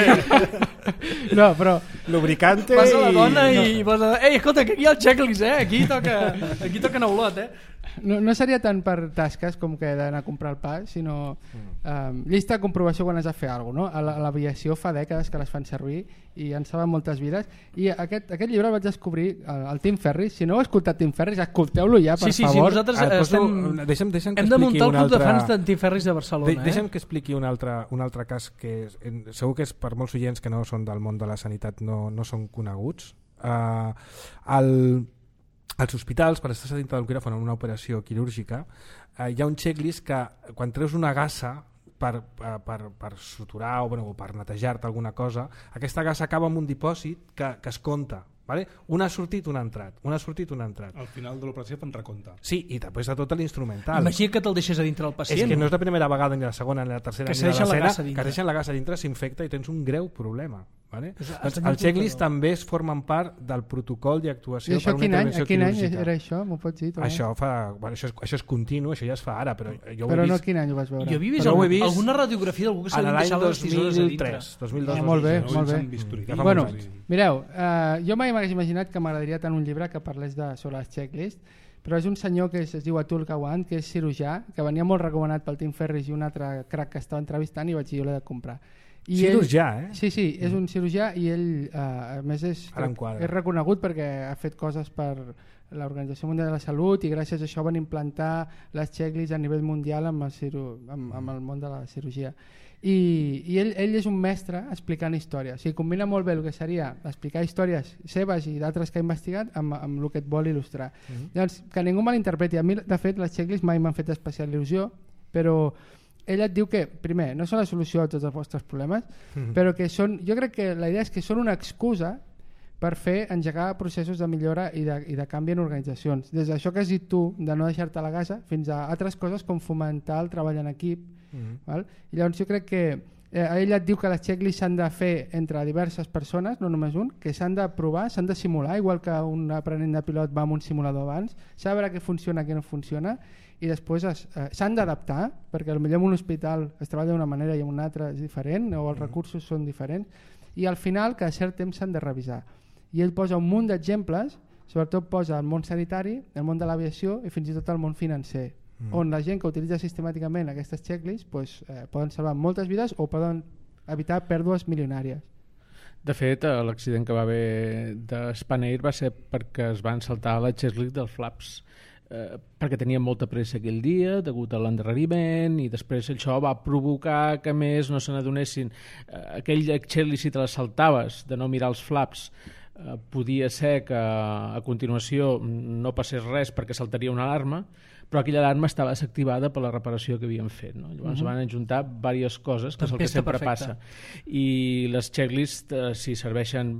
No, però lubricante vas a la dona i... i, i vas a... Ei, escolta, que aquí hi ha el checklist, eh? Aquí toca, aquí toca neulot, eh? No, no seria tant per tasques com que d'anar a comprar el pa, sinó um, llista de comprovació quan has de fer alguna cosa, no? A l'aviació fa dècades que les fan servir i en saben moltes vides, i aquest, aquest llibre el vaig descobrir el, el Tim Ferriss. Si no heu escoltat Tim Ferriss, escolteu-lo ja, per sí, sí, favor. Sí, nosaltres ah, estem... poso, deixa'm, deixa'm hem de muntar el club altre... de fans d'en Tim Ferriss de Barcelona. De, deixa'm que expliqui un altre, un altre cas que és, en, segur que és per molts oients que no són del món de la sanitat, no, no són coneguts. Uh, el als hospitals, per estar dintre del quiròfan en una operació quirúrgica, eh, hi ha un checklist que quan treus una gassa per, per, per suturar o, bueno, o per netejar-te alguna cosa, aquesta gassa acaba amb un dipòsit que, que es compta. Vale? Un ha sortit, un ha entrat. Un ha sortit, un ha entrat. Al final de l'operació fan recompte. Sí, i després de tot l'instrumental. Imagina que te'l deixes a dintre el pacient. És que no és la primera vegada, ni la segona, ni la tercera, que ni la decena, que es deixen la gassa dintre, s'infecta i tens un greu problema. Vale? És, doncs el checklist també es formen part del protocol d'actuació per una intervenció quin any, quirúrgica. Era això? M'ho pots dir? Això, fa, bueno, això, és, això és continu, això ja es fa ara, però jo però ho he no vist... quin any ho vas veure? Jo havia vist, algun, vist alguna radiografia d'algú que s'havia deixat les tisores a dintre. dos mil tres. Ah, molt bé, molt bé. Ja bueno, mireu, uh, jo mai m'hagués imaginat que m'agradaria tant un llibre que parlés de, sobre les checklists, però és un senyor que es, es diu Atul Gawande, que és cirurgià, que venia molt recomanat pel Tim Ferriss i un altre crac que estava entrevistant, i vaig dir, jo l'he de comprar. I cirurgià, ell, eh? Sí, sí, és un cirurgià i ell, uh, a més, és, és reconegut perquè ha fet coses per l'Organització Mundial de la Salut i gràcies a això van implantar les checklists a nivell mundial amb el, ciru, amb, amb el món de la cirurgia. I, i ell, ell és un mestre explicant històries. O sigui, combina molt bé el que seria explicar històries seves i d'altres que ha investigat amb, amb el que et vol il·lustrar. Mm-hmm. Llavors, que ningú malinterpreti. A mi, de fet, les checklists mai m'han fet especial il·lusió, però ell et diu que, primer, no són la solució a tots els vostres problemes, mm-hmm. però que són, jo crec que la idea és que són una excusa per fer engegar processos de millora i de, i de canvi en organitzacions. Des d'això que has dit tu, de no deixar-te la gasa, fins a altres coses com fomentar el treball en equip. Mm-hmm. Val? I llavors jo crec que eh, ell et diu que les checklists s'han de fer entre diverses persones, no només un, que s'han de provar, s'han de simular, igual que un aprenent de pilot va amb un simulador abans, saber què funciona, què no funciona, i després eh, s'han d'adaptar, perquè potser en un hospital es treballa d'una manera i en una altra és diferent, o els recursos són diferents, i al final cada cert temps s'han de revisar. I ell posa un munt d'exemples, sobretot posa el món sanitari, el món de l'aviació i fins i tot el món financer, mm. on la gent que utilitza sistemàticament aquestes checklists pues, eh, poden salvar moltes vides o poden evitar pèrdues milionàries. De fet, l'accident que va haver de Spanair va ser perquè es van saltar la checklist dels flaps, eh, perquè tenien molta pressa aquell dia degut a l'endarreriment, i després això va provocar que més no se n'adonessin. Eh, aquell checklist, si te la saltaves de no mirar els flaps, eh, podia ser que a continuació no passés res perquè saltaria una alarma, però aquella alarma estava desactivada per la reparació que havíem fet, no? Llavors uh-huh. van ajuntar diverses coses, que és el que sempre perfecta. Passa. I les checklists eh, si serveixen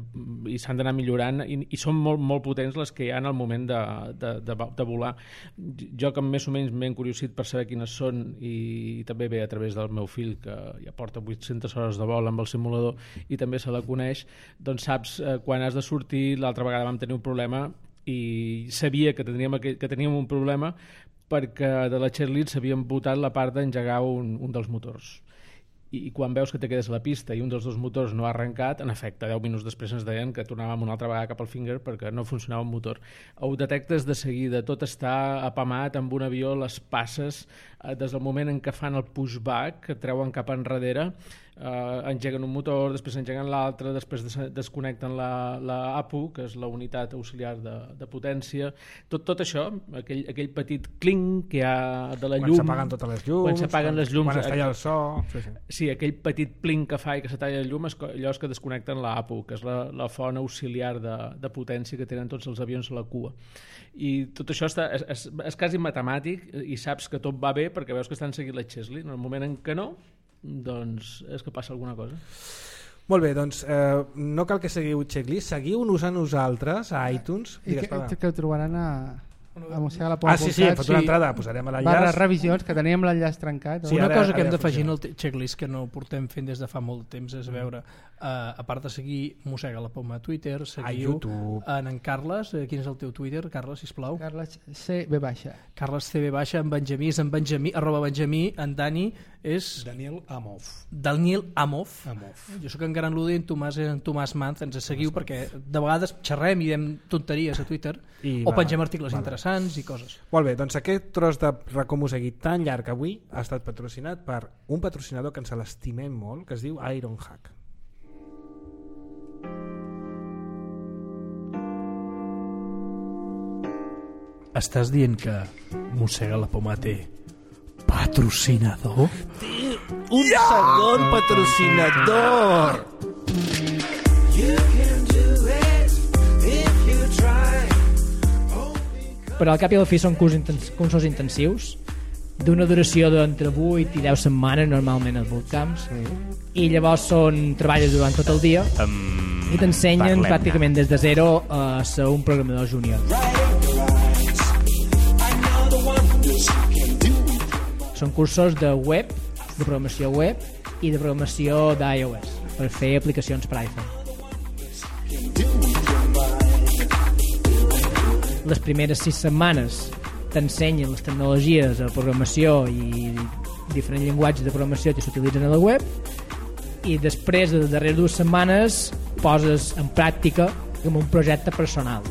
i s'han d'anar millorant, i, i són molt, molt potents les que hi ha en el moment de, de, de, de volar. Jo, que més o menys m'he encuriosit per saber quines són, i, i també ve a través del meu fill, que ja porta vuit-centes hores de vol amb el simulador i també se la coneix, doncs saps eh, quan has de sortir. L'altra vegada vam tenir un problema i sabia que teníem, que teníem un problema perquè de la checklist s'havien votat la part d'engegar un, un dels motors. I, I quan veus que te quedes a la pista i un dels dos motors no ha arrencat, en efecte, deu minuts després ens deien que tornàvem una altra vegada cap al finger perquè no funcionava el motor. Ho detectes de seguida, tot està apamat amb un avió, les passes, eh, des del moment en què fan el pushback, que treuen cap enrere, Uh, engeguen un motor, després engeguen l'altre, després des desconnecten la, la A P U, que és la unitat auxiliar de, de potència. Tot, tot això, aquell, aquell petit clink que hi ha de la quan llum... Quan s'apaguen totes les llums... Quan s'apaguen les llums... Quan es talla el so... Sí, sí. sí, aquell petit plink que fa i que se talla la llum, és allò que desconnecten la A P U, que és la, la font auxiliar de, de potència que tenen tots els avions a la cua. I tot això està, és, és, és quasi matemàtic, i saps que tot va bé perquè veus que estan seguint la checklist. En el moment en què no, doncs és que passa alguna cosa. Molt bé, doncs eh, no cal que seguiu checklist, seguiu-nos a nosaltres a iTunes. I que, que ho trobaran a, a Mossega la Poma. Ah, sí, sí, hem fet una entrada, posarem l'enllaç. Barra revisions, que teníem l'enllaç trencat. Sí, una ara, cosa que hem d'afegir en el checklist que no portem fent des de fa molt temps és veure, uh, a part de seguir Mossega la Poma a Twitter, seguiu en en Carles. Quin és el teu Twitter, Carles, sisplau? Carles C B baixa. Carles C B baixa, en Benjamí és en Benjamí, arroba Benjamí, en Dani és... Daniel Amov. Daniel Amov. Amov. Jo sóc en Gran Ludi, en Tomàs és en Tomàs Manz, ens seguiu perquè de vegades xerrem i diem tonteries a Twitter I o va, pengem articles vale. interessants i coses. Molt bé, doncs aquest tros de racó Mosegui tan llarg avui ha estat patrocinat per un patrocinador que ens l'estimem molt, que es diu Ironhack. Estàs dient que Mossega la Poma té patrocinador? Té un yeah! segon patrocinador! Però al cap i al fi són cursos intensius d'una duració d'entre vuit i deu setmanes normalment als bootcamps i llavors són treballes durant tot el dia um, i t'ensenyen pràcticament des de zero a ser un programador júnior. Són cursos de web, de programació web i de programació d'iOS per fer aplicacions per iPhone. Les primeres sis setmanes t'ensenyen les tecnologies de programació i diferents llenguatges de programació que s'utilitzen a la web i després de les darreres dues setmanes poses en pràctica com un projecte personal.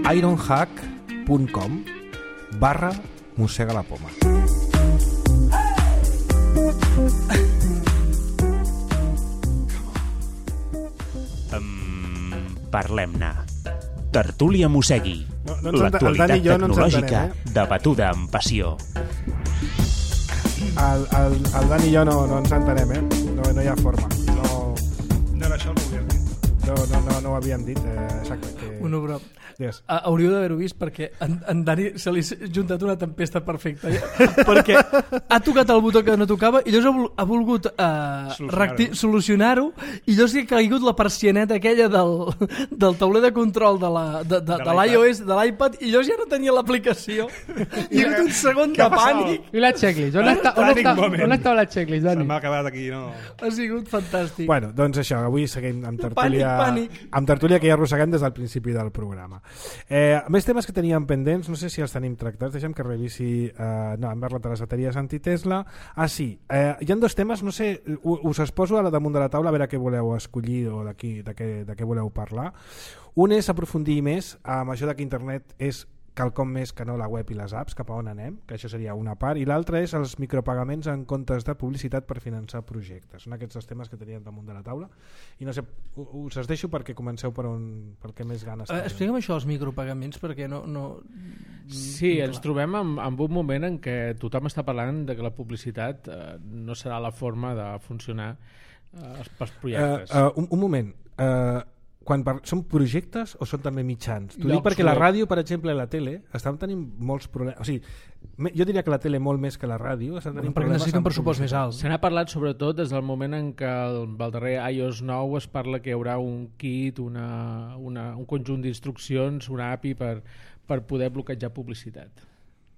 ironhack punt com barra Mossega la Poma. Parlem-ne. Tertúlia Mossegui. No, no l'actualitat tecnològica no eh? debatuda amb passió. El, el, el Dan i jo no, no ens entenem, eh? No, no hi ha forma. No, no era això el que havíem dit. No, no, no, no ho havíem dit. Eh, exacte. Que... Un obró. Yes. Uh, hauríeu d'haver-ho vist perquè en, en Dani se li ha juntat una tempesta perfecta perquè ha tocat el botó que no tocava i llavors ha volgut uh, solucionar-ho solucionar i llavors ha caigut la persianeta aquella del, del tauler de control de, la, de, de, de, de l'iOS, de l'iPad i llavors ja no tenia l'aplicació i ha hagut un segon de pànic. I la checklist? On, està, on, està, on estava la checklist, Dani? Se m'ha acabat aquí, no? Ha sigut fantàstic. Bueno, doncs això, avui seguim amb tertúlia, pànic, pànic. amb tertúlia que ja arrosseguem des del principi del programa. Eh, més temes que teníem pendents, no sé si els tenim tractats, deixem que revisi, eh, no, hem parlat de les bateries anti-Tesla. Ah, sí, eh, hi ha dos temes, no sé, us els poso a la damunt de la taula a veure què voleu escollir o de, qui, de, què, de què voleu parlar. Un és aprofundir més amb això que internet és quelcom més que no la web i les apps, cap a on anem, que això seria una part, i l'altra és els micropagaments en comptes de publicitat per finançar projectes. Són aquests dos temes que teníem damunt de la taula i no sé, us els deixo perquè comenceu per on, per què més ganes uh, explica'm això dels micropagaments perquè no... no... Sí, ens trobem en, en un moment en què tothom està parlant de que la publicitat eh, no serà la forma de funcionar eh, pels projectes. Uh, uh, un, un moment, uh, quan par... són projectes o són també mitjans? T'ho dic perquè la ràdio, per exemple, i la tele estan tenint molts problemes. O sigui, jo diria que la tele molt més que la ràdio estan tenint perquè necessiten un pressupost més alt. Se n'ha parlat sobretot des del moment en què el, el darrer iOS nou es parla que hi haurà un kit, una, una, un conjunt d'instruccions, una A P I per, per poder bloquejar publicitat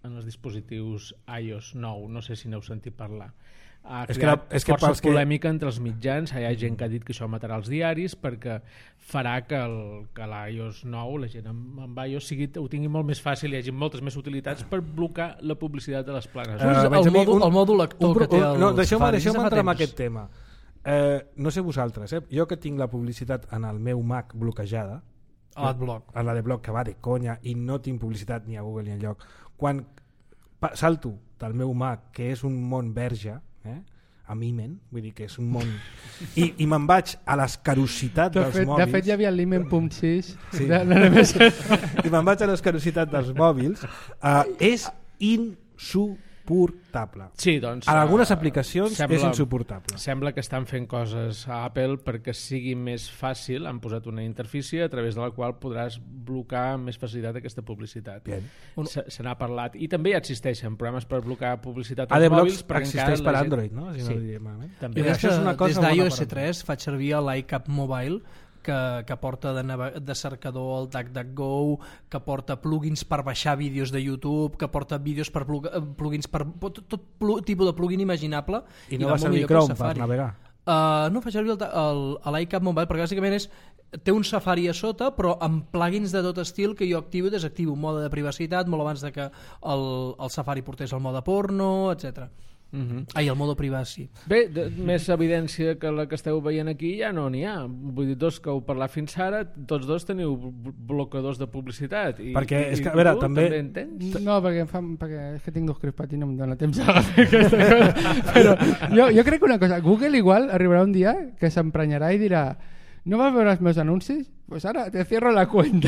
en els dispositius iOS nou. No sé si n'heu sentit parlar. Ha creat és que la, és que força polèmica que... entre els mitjans. Hi ha gent que ha dit que això matarà els diaris perquè farà que, el, que l'iOS nou, la gent amb, amb iOS sigui, ho tingui molt més fàcil, hi hagi moltes més utilitats per blocar la publicitat de les planes. Uh, el, el, mòdul, el mòdul lector un, que té el... No, deixeu-me deixeu entrar en aquest tema. Eh, no sé vosaltres, eh? Jo que tinc la publicitat en el meu Mac bloquejada, a l'adblock, a l'adblock que va de conya i no tinc publicitat ni a Google ni enlloc, quan salto del meu Mac, que és un món verge, eh? amb Imen, vull dir que és un món i, i me'n vaig a l'escarositat de dels fet, mòbils. De fet hi havia l'Imen punt sis sí. de, de, de i me'n vaig a l'escarositat dels mòbils. Uh, és insuportable. Sí, doncs, en algunes aplicacions sembla, és insuportable. Sembla que estan fent coses a Apple perquè sigui més fàcil. Han posat una interfície a través de la qual podràs blocar amb més facilitat aquesta publicitat. Se, se n'ha parlat. I també ja existeixen programes per blocar publicitat als mòbils. Existeix per Android, no? Si sí. no també. I això és una cosa des d'iOS tres faig servir l'iCap Mobile, que, que porta de, de cercador el DuckDuckGo, que porta plugins per baixar vídeos de YouTube, que porta vídeos per plug, plugins per tot, tot pl tipus de plugin imaginable. I no va servir Chrome per navegar? Uh, no fa servir l'iCap Mobile perquè bàsicament és, té un Safari a sota però amb plugins de tot estil que jo activo i desactivo, mode de privacitat molt abans de que el, el Safari portés el mode porno, etcètera. Uh-huh. Ai, el mode privacy. Bé, de, més evidència que la que esteu veient aquí ja no n'hi ha. Vull dir, dos que heu parlat fins ara, tots dos teniu blocadors de publicitat. I, perquè, i, és que, a veure, tu, també... també en tens? No, perquè, em fa, perquè és que tinc dos crispat i no em dóna temps a fer aquesta cosa. Però jo, jo crec que una cosa, Google igual arribarà un dia que s'emprenyarà i dirà no vas veure els meus anuncis? Pues ara te cierro la cuenta.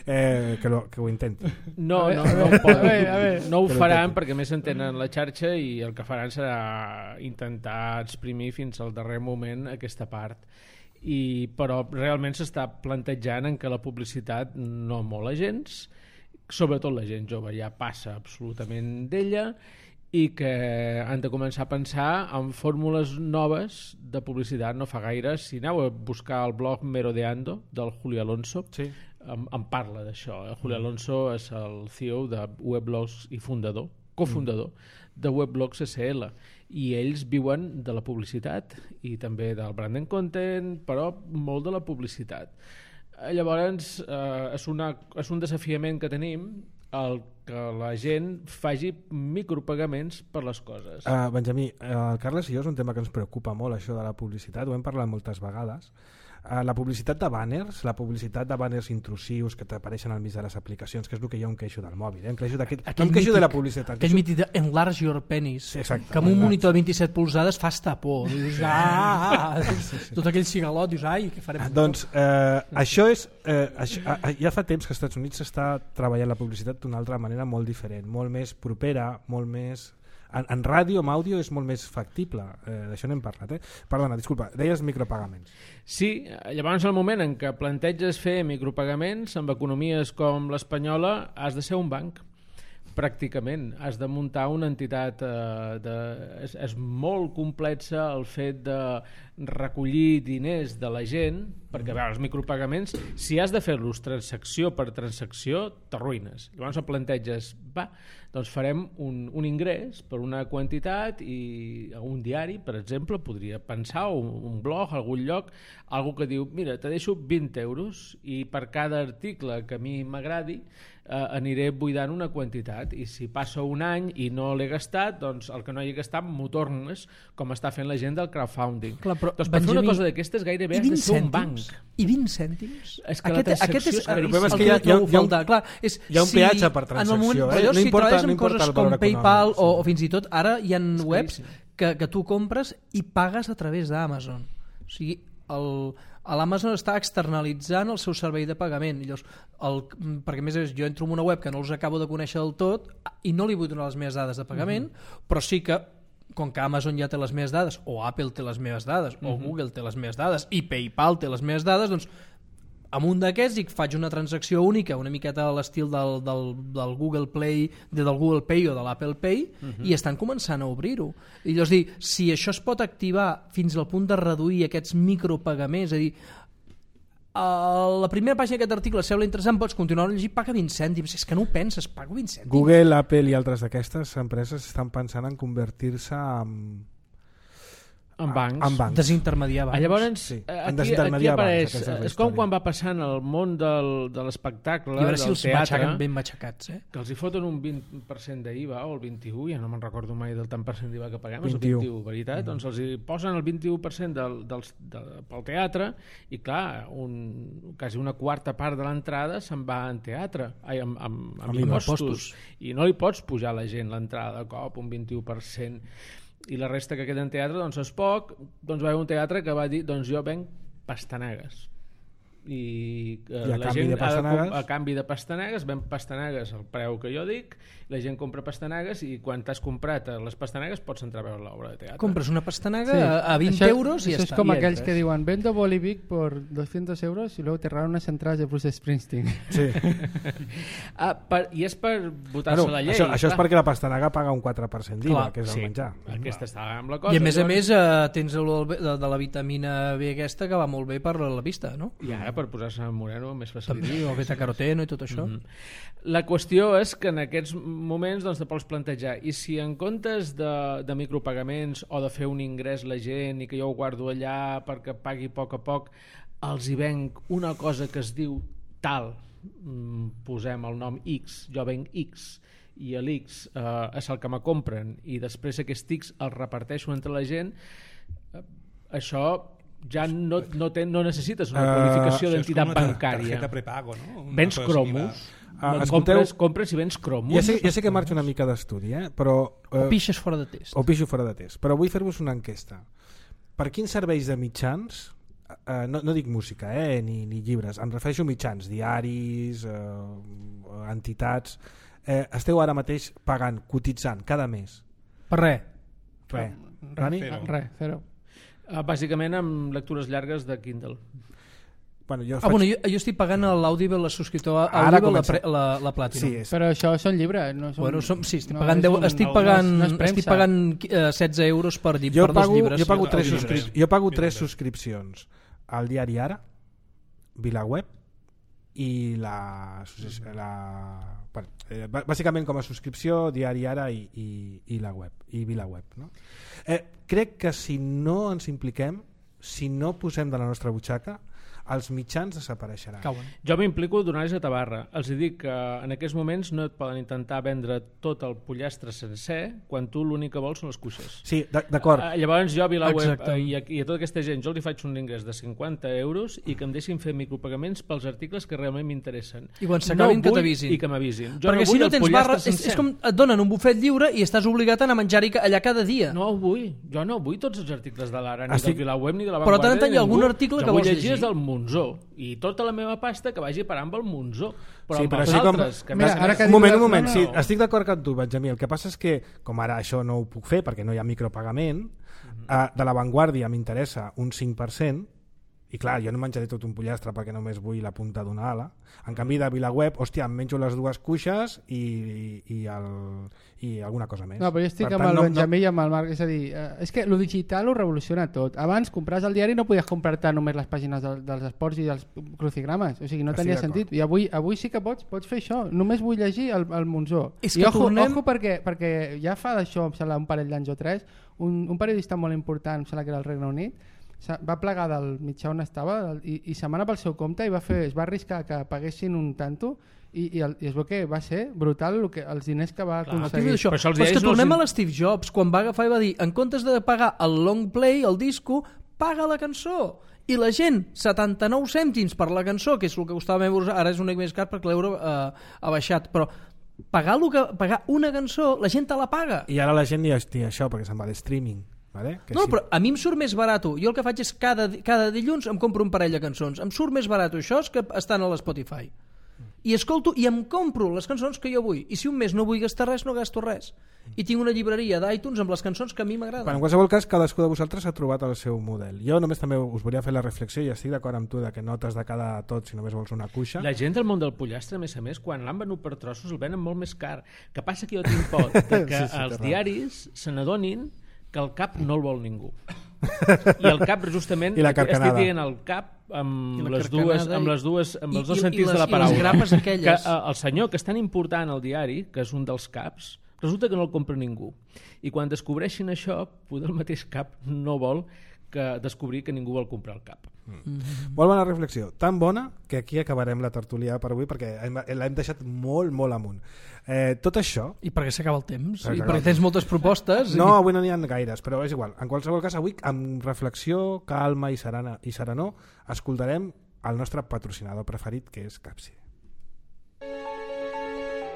eh, que, lo, que ho intenti. No, no, no, no, ho, a veure, a veure. No ho faran perquè més entenen la xarxa i el que faran serà intentar exprimir fins al darrer moment aquesta part. I, però realment s'està plantejant en que la publicitat no mola gens, sobretot la gent jove ja passa absolutament d'ella i que han de començar a pensar en fórmules noves de publicitat. No fa gaire, si aneu a buscar el blog Merodeando del Julio Alonso, sí. en, en parla d'això. El Julio Alonso és el C E O de Weblogs i fundador, cofundador mm. de Weblogs S L, i ells viuen de la publicitat i també del brand and content, però molt de la publicitat. Llavors eh, és, una, és un desafiament que tenim el que la gent faci micropagaments per les coses. Uh, Benjamí, uh, el Carles i jo és un tema que ens preocupa molt, això de la publicitat, ho hem parlat moltes vegades. Uh, la publicitat de banners, la publicitat de banners intrusius que t'apareixen al mig de les aplicacions, que és el que jo em queixo del mòbil. Eh? Em queixo d'aquest... No em queixo de la publicitat. Aquell mític d'enlarge your penis, sí, exacte, que amb un monitor de vint-i-set polzades fa estar por. Dius, ah, sí, sí, sí. Tot aquell cigalot, dius, ai, què farem? Doncs eh, això és... Eh, això, eh, ja fa temps que als Estats Units s'està treballant la publicitat d'una altra manera molt diferent, molt més propera, molt més... En, en ràdio, amb àudio, és molt més factible. Eh, d'això n'hem parlat. Eh? Perdona, disculpa, deies micropagaments. Sí, llavors el moment en què planteges fer micropagaments amb economies com l'espanyola has de ser un banc. Pràcticament, has de muntar una entitat eh, de, és, és molt complexa el fet de recollir diners de la gent, perquè veure, els micropagaments, si has de fer-los transacció per transacció, t'arruïnes. Llavors el planteges, va, doncs farem un, un ingrés per una quantitat i un diari, per exemple, podria pensar, o un, un blog, algun lloc, algú que diu, mira, te deixo vint euros i per cada article que a mi m'agradi eh, aniré buidant una quantitat i si passa un any i no l'he gastat, doncs el que no hagi gastat m'ho tornes, com està fent la gent del crowdfunding. Clar, però, doncs per Benjamí, fer una cosa d'aquestes gairebé has de ser un banc. I vint cèntims? És que aquest, aquest és, és el que, que hi ha, hi ha, hi ha, clar, és, hi ha un peatge si, per transacció. Moment, eh? No si importa, treballes amb no coses com PayPal sí. o, o fins i tot ara hi ha és webs que, que tu compres i pagues a través d'Amazon. O sigui, l'Amazon està externalitzant el seu servei de pagament. Llavors, el, perquè a més jo entro en una web que no els acabo de conèixer del tot i no li vull donar les meves dades de pagament, uh-huh. però sí que com que Amazon ja té les meves dades, o Apple té les meves dades, uh-huh. o Google té les meves dades, i PayPal té les meves dades, doncs amb un d'aquests i faig una transacció única, una miqueta a l'estil del, del, del Google Play, de, del Google Pay o de l'Apple Pay, uh-huh. i estan començant a obrir-ho. I llavors dir, si això es pot activar fins al punt de reduir aquests micropagaments, és a dir, Uh, la primera pàgina d'aquest article sembla interessant, pots continuar a llegir, paga vint cèntims. És que no ho penses, pago vint cèntims. Google, Apple i altres d'aquestes empreses estan pensant en convertir-se en... en bancs. En bancs. Desintermediar bancs. Llavors, sí. aquí, aquí apareix, bancs, és com quan va passant el món del, de l'espectacle, del teatre, si els matxaquen ben matxacats, eh? que els hi foten un vint per cent d'I V A o el vint-i-u, ja no me'n recordo mai del tant per cent d'I V A que paguem, és el vint-i-u, veritat? Mm. Doncs els hi posen el vint-i-u per cent del, del, del, pel teatre i clar, un, quasi una quarta part de l'entrada se'n va en teatre, ai, amb, amb, amb, amb impostos, i no li pots pujar a la gent l'entrada de cop, un vint-i-u per cent, i la resta que queda en teatre doncs és poc, doncs va haver un teatre que va dir doncs jo venc pastanagues i, eh, I a la canvi gent de pastanagues? ha de, a canvi de pastanagues ven pastanagues al preu que jo dic, la gent compra pastanagues i quan t'has comprat les pastanagues pots entrar a veure l'obra de teatre. Compres una pastanaga Sí. a vint Això- euros i ja Eso es està. como Y aquellos entras. que digan vendo Bolivic por doscientos euros y luego te regalan unas entradas de Bruce Springsteen. Sí. Ah, per, I és per votar-se Bueno, la llei. això, això és clar. perquè la pastanaga paga un quatre per cent d'I V A, Clar, que és el Sí, menjar. aquesta està amb la cosa. I a més a Llavors- més eh, tens el, de, de la vitamina B aquesta que va molt bé per la vista, no? I ara per posar-se moreno més facilitat. També, o beta-caroteno i tot això. Mm -hmm. La qüestió és que en aquests moments doncs, te pots plantejar, i si en comptes de, de micropagaments o de fer un ingrés la gent i que jo ho guardo allà perquè pagui a poc a poc, els hi venc una cosa que es diu tal, mm, posem el nom X, jo venc X, i l'X eh, és el que me compren i després aquest X el reparteixo entre la gent, eh, això ja no, no, ten, no necessites una qualificació uh, d'entitat bancària. Tarjeta prepago, no? Una Vens cosa cromos, Ah, no, escolteu, compres, compres i vens cromos. ja sé, ja sé que marxo una mica d'estudi, eh? però... Eh, O pixes fora de test. o pixo fora de test, però vull fer-vos una enquesta. Per quins serveis de mitjans, eh, no, no dic música eh, ni, ni llibres, em refereixo a mitjans, diaris, eh, entitats, eh, esteu ara mateix pagant, cotitzant cada mes? Per res. Res. Rani? Zero. Res, cero. Uh, bàsicament amb lectures llargues de Kindle. Bueno, jo Ah, faig... bueno, jo, jo estic pagant a l'Audible, la subscriptor a Ara Audible, la, comença. pre, la, la Platinum. Sí, és... Però això són llibres, no són... Bueno, som, sí, estic no, pagant, és deu, un- estic no, pagant, no és premsa. estic pagant eh, setze euros per, lli- jo per dos pago, llibres. jo pago, tres, Audible. subscrip... jo pago tres Audible. subscripcions al diari Ara, VilaWeb i la, la bueno, eh, bàsicament com a subscripció diari Ara i, i, i la web i VilaWeb, no? eh, crec que si no ens impliquem, si no posem de la nostra butxaca, els mitjans desapareixeran. Cauen. Jo m'implico donant-los a Tabarra. Els dic que en aquests moments no et poden intentar vendre tot el pollastre sencer quan tu l'únic que vols són les cuixes. Sí, d'acord. Uh, llavors jo a VilaWeb Exacte. uh, i, a, i a tota aquesta gent jo li faig un ingrés de cinquanta euros i que em deixin fer micropagaments pels articles que realment m'interessen. I quan s'acabin no que vull t'avisin. I que m'avisin. Jo Perquè no si vull no el tens pollastre barra, és, sencer. és com et donen un bufet lliure i estàs obligat a anar a menjar-hi allà cada dia. No ho vull. Jo no vull tots els articles de l'Ara, ni Estic... del VilaWeb, ni de la Però Vanguardia. tant en tant hi ha ningú. algun article que jo vull vols llegir llegir. és del Monzó. I tota la meva pasta que vagi parant pel Monzó. Però Sí, amb però els així com... altres... Que Mira, més- ara que un moment, diu- un moment, no, sí, no. estic d'acord amb tu, Benjamí. El que passa és que, com ara això no ho puc fer perquè no hi ha micropagament, eh, de la Vanguardia m'interessa un cinc per cent, i clar, jo no menjaré tot un pollastre perquè només vull la punta d'una ala. En canvi, de VilaWeb, hòstia, em menjo les dues cuixes i, i, i, el, i alguna cosa més. No, però jo estic Per amb tant, el no- Benjamí i amb el Marc, és a dir, eh, és que lo digital ho revoluciona tot. Abans, compraves el diari no podies comprar-te només les pàgines del, dels esports i dels crucigrames, o sigui, no Estic tenia d'acord. sentit. I avui, avui sí que pots, pots fer això, només vull llegir el, el Monzó. És I que ojo, tornem- ojo perquè, perquè ja fa d'això, em sembla, un parell d'anys o tres, un, un periodista molt important, em sembla que era el Regne Unit, se- va plegar del mitjà on estava del- i, i se'n va anar pel seu compte i va fer, es va arriscar que paguessin un tanto i, i, el, i es veu que va ser brutal el que, els diners que va Clar, aconseguir. això. Però això els Però és que diaris no tornem els- a l'Steve Jobs, quan va agafar i va dir, en comptes de pagar el long play, el disco, paga la cançó. I la gent, setanta-nou cèntims per la cançó, que és el que costava més, ara és una mica més car perquè l'euro eh, ha baixat, però pagar, lo que, pagar una cançó, la gent te la paga. I ara la gent ni estia això perquè se'n va a l'streaming. Vale? Que No, sí. però a mi em surt més barat. Jo el que faig és cada, cada dilluns em compro un parell de cançons. Em surt més barat això que estan a l'Spotify. I escolto i em compro les cançons que jo vull. I si un mes no vull gastar res, no gasto res. I tinc una llibreria d'iTunes amb les cançons que a mi m'agraden. Bueno, en qualsevol cas, cadascú de vosaltres ha trobat el seu model. Jo només també us volia fer la reflexió i estic d'acord amb tu de que no t'has de quedar tot si només vols una cuixa. La gent del món del pollastre, a més a més, quan l'han venut per trossos el venen molt més car. Que passa que jo tinc por de que Sí, sí, els té raó. diaris se n'adonin que el cap no el vol ningú. I el cap, justament, I la carcanada. estic dient el cap amb I la les carcanada dues, amb i- les dues, amb i- els dos i- i sentits les- de la i les paraula. grapes aquelles. Que eh, el senyor que és tan important al diari, que és un dels caps, resulta que no el compra ningú. I quan descobreixin això, potser el mateix cap no vol que descobrir que ningú vol comprar el cap. Mm. Molt bona reflexió, tan bona que aquí acabarem la tertúlia per avui perquè hem- l'hem deixat molt, molt amunt. Eh, tot això... I perquè s'acaba el temps. S'acaba I el perquè tens moltes propostes. No, i... avui no n'hi ha gaires, però és igual. En qualsevol cas, avui, amb reflexió, calma i serena i serenor, escoltarem el nostre patrocinador preferit, que és Capside.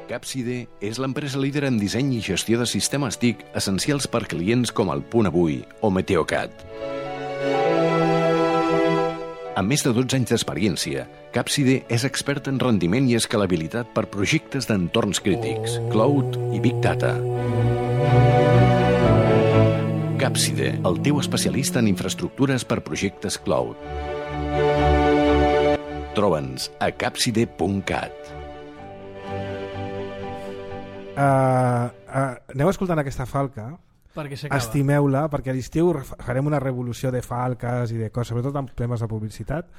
Capside és l'empresa líder en disseny i gestió de sistemes T I C essencials per clients com el Punt Avui o Meteocat. Amb més de dotze anys d'experiència, Capside és expert en rendiment i escalabilitat per projectes d'entorns crítics, cloud i Big Data. Capside, el teu especialista en infraestructures per projectes cloud. Troba'ns a capside punt cat. Uh, uh, aneu escoltant aquesta falca, estimeu-la, perquè a l'estiu farem una revolució de falques i de coses, sobretot amb temes de publicitat,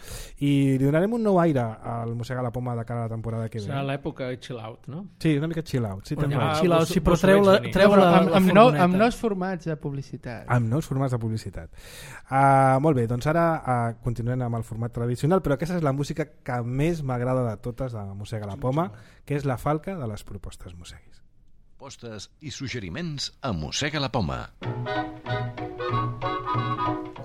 i li donarem un nou aire al Mossega la Poma de cara a la temporada que ve. Serà l'època chill out, no? Sí, una mica chill out. Sí, ja, chill out, sí, però treu-la treu amb, amb, nou, amb nous formats de publicitat. Amb nous formats de publicitat. Uh, molt bé, doncs ara uh, continuem amb el format tradicional, però aquesta és la música que més m'agrada de totes de Mossega la Poma, que és la falca de les propostes mosseguis. Propostes i suggeriments a Mossega la Poma.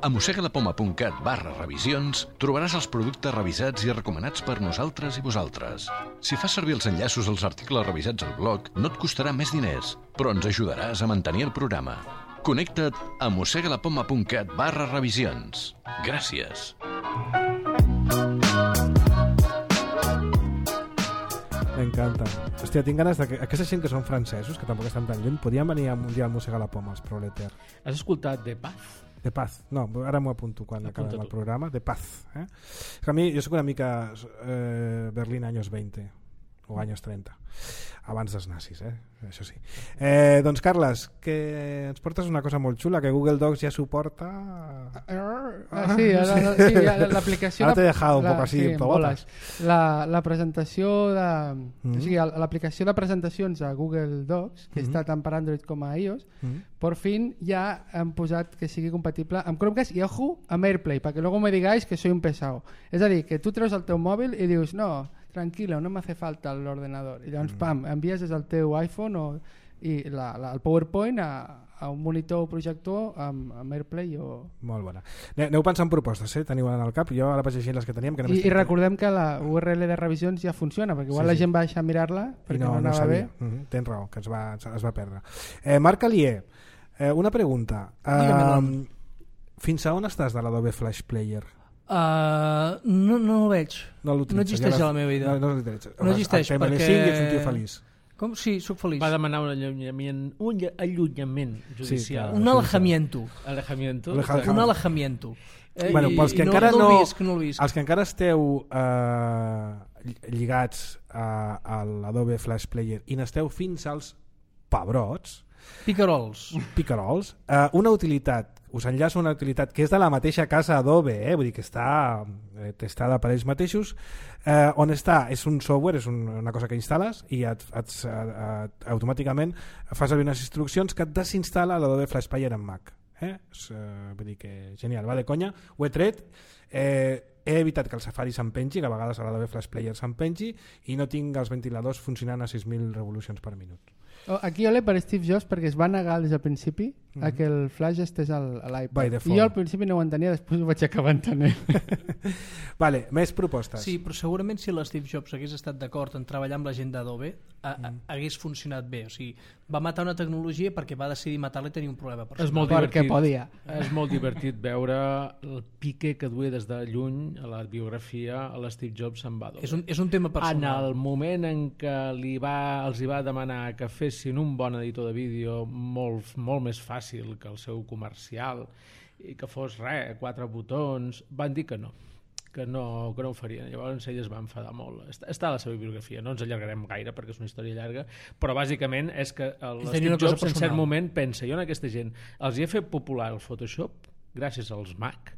A mossegalapoma.cat barra revisions trobaràs els productes revisats i recomanats per nosaltres i vosaltres. Si fas servir els enllaços als articles revisats al blog, no et costarà més diners, però ens ajudaràs a mantenir el programa. Connecta't a mossegalapoma.cat barra revisions. Gràcies. M'encanta. Hòstia, tinc ganes de que aquesta gent que són francesos, que tampoc estan tan lluny, podien venir un dia al Mossega la Poma, els Proleter. Has escoltat De Paz? De Paz, no, ara m'ho apunto quan acabem el programa. De Paz. Eh? A mi, jo soc una mica eh, Berlín anys veinte o anys trenta, abans dels nazis, eh? Això sí. Eh, doncs Carles, que ens portes una cosa molt xula, que Google Docs ja suporta... Ah, sí, sí, l'aplicació... Ara t'he dejado un poc així, sí, botes. La, la presentació de... Mm. O sigui, l'aplicació de presentacions a Google Docs, que mm. està tant per Android com a iOS, mm. por fin ja han posat que sigui compatible amb Chromecast i, ojo, amb AirPlay, perquè luego me digáis que soy un pesado. És a dir, que tu treus el teu mòbil i dius, no, tranquilo, no me hace falta l'ordenador. I llavors, mm. pam, envies des del teu iPhone o, i la, la, el PowerPoint a, a un monitor o projector amb, amb AirPlay o... Molt bona. Aneu pensant en propostes, eh? Teniu en el cap, jo ara vaig llegint les que teníem. Que I, I recordem que la U R L de revisions ja funciona, perquè igual sí, la gent va deixar mirar-la perquè no, no anava no bé. Mm-hmm. Tens raó, que es va, es va perdre. Eh, Marc Alier, eh, una pregunta. Uh, fins a on estàs de l'Adobe Flash Player? Uh, no, no el veig. No, no existeix ja la, a la meva vida. No, no, no, no existeix perquè... ets un tio feliç. Com? Sí, sóc feliç. Va demanar un allunyament, un allunyament judicial. Sí, un alejamiento. Alejamiento. Un alejamiento. Eh, bueno, pels que no, encara no, no, visc, no visc. Els que encara esteu eh, lligats a, a l'Adobe Flash Player i n'esteu fins als pebrots, picarols, picarols eh, una utilitat, us enllaço una utilitat que és de la mateixa casa Adobe, eh? Vull dir que està eh, testada per ells mateixos, eh, on està, és un software, és un, una cosa que instal·les i et, et, et, et, automàticament fas servir unes instruccions que et desinstal·la l'Adobe Flash Player en Mac. Eh? És, eh, vull dir que genial, va de conya, ho he tret, eh, he evitat que el Safari s'empengi, que a vegades a l'Adobe Flash Player s'empengi, i no tinc els ventiladors funcionant a sis mil revolucions per minut. Aquí ole per Steve Jobs perquè es va negar des del principi mm-hmm. a que el flash estés a l'iPad i jo al principi no ho entenia, després ho vaig acabar entenent. Vale, més propostes. Sí, però segurament si l'Steve Jobs hagués estat d'acord en treballar amb la gent d'Adobe a, a, hagués funcionat bé, o sigui, va matar una tecnologia perquè va decidir matar-la i tenir un problema personal. És molt divertit, perquè podia. És molt divertit veure el pique que duia des de lluny a la biografia a l'Steve Jobs amb Adobe. És un, és un tema personal. En el moment en què li va, els hi va demanar que fessin un bon editor de vídeo molt, molt més fàcil que el seu comercial i que fos res, quatre botons, van dir que no, que no, que no ho farien. Llavors ell es va enfadar molt. Està, està a la seva biografia, no ens allargarem gaire perquè és una història llarga, però bàsicament és que l'Steve Jobs en cert moment pensa, jo en aquesta gent els hi he fet popular el Photoshop gràcies als Mac,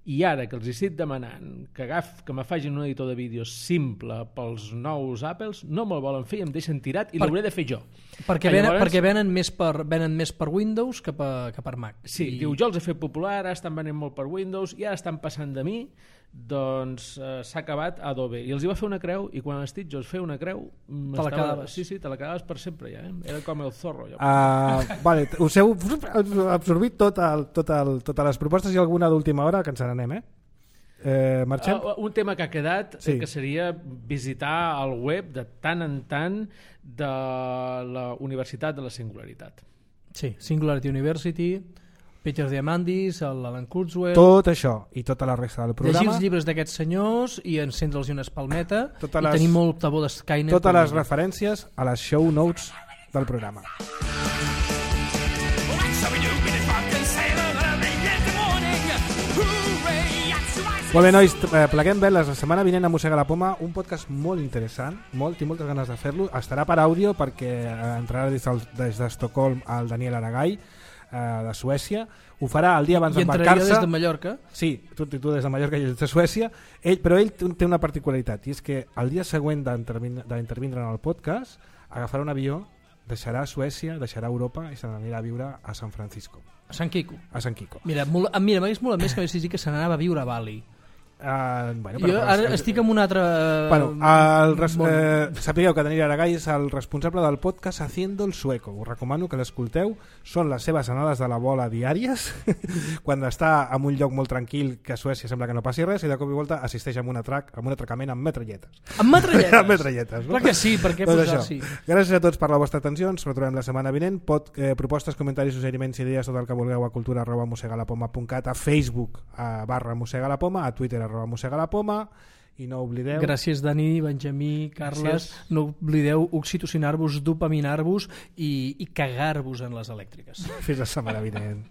i ara que els hi estic demanant que, agaf, que me facin un editor de vídeo simple pels nous Apples, no me'l volen fer i em deixen tirat i per... l'hauré de fer jo. Perquè, venen, llavors... perquè venen, més per, venen més per Windows que per, que per Mac. Sí, I... diu, jo els he fet popular, ara estan venent molt per Windows i ara estan passant de mi, doncs eh, s'ha acabat Adobe. I els hi va fer una creu i quan Steve Jobs feia una creu te la quedaves. Sí, sí, te la quedaves per sempre ja, eh? Era com el zorro ja. uh, vale, us heu absorbit tot el, tot el, totes les propostes i alguna d'última hora que ens n'anem, eh? Eh, marxem? Uh, un tema que ha quedat sí. que seria visitar el web de tant en tant de la Universitat de la Singularitat. Sí, Singularity University, Peter Diamandis, l'Alan Kurzweil... Tot això i tota la resta del programa. Llegir els llibres d'aquests senyors i encendre'ls una espalmeta totes i les, tenir molta por de Skynet. Totes les referències a les show notes del programa. Molt bé, nois, pleguem bé. La setmana vinent a Mossega la Poma, un podcast molt interessant, molt, tinc moltes ganes de fer-lo. Estarà per àudio perquè entrarà des, del, des d'Estocolm el Daniel Aragall, eh, de Suècia. Ho farà el dia abans d'embarcar-se. I entraria des de Mallorca? Sí, tu, tu des de Mallorca i des de Suècia. Ell, però ell té una particularitat, i és que el dia següent d'intervindre en el podcast agafarà un avió, deixarà Suècia, deixarà Europa i se n'anirà a viure a San Francisco. A San Quico? A San Quico. Mira, molt, mira m'hagués molt més que m'hagués dit que se n'anava a viure a Bali. Uh, bueno, jo ara el, estic amb un altre... Bueno, el res, eh, sapigueu que Daniel Aragall és el responsable del podcast Haciendo el Sueco. Us recomano que l'escolteu. Són les seves anades de la bola diàries quan està en un lloc molt tranquil, que a Suècia sembla que no passi res, i de cop i volta assisteix a un, atrac, a un atracament amb metralletes. Amb metralletes? Amb metralletes, no? Clar que sí, per què doncs posar això. sí? Gràcies a tots per la vostra atenció. Ens retrobem la setmana vinent. Pot, eh, propostes, comentaris, suggeriments, idees, tot el que vulgueu a cultura arroba mosegalapoma punt cat, a Facebook a barra mosegalapoma, a Twitter arroba mosegalapoma. I no oblideu... Gràcies, Dani, Benjamí, Carles. Gràcies. No oblideu oxitocinar-vos, dopaminar-vos i, i cagar-vos en les elèctriques. Fins la setmana vinent.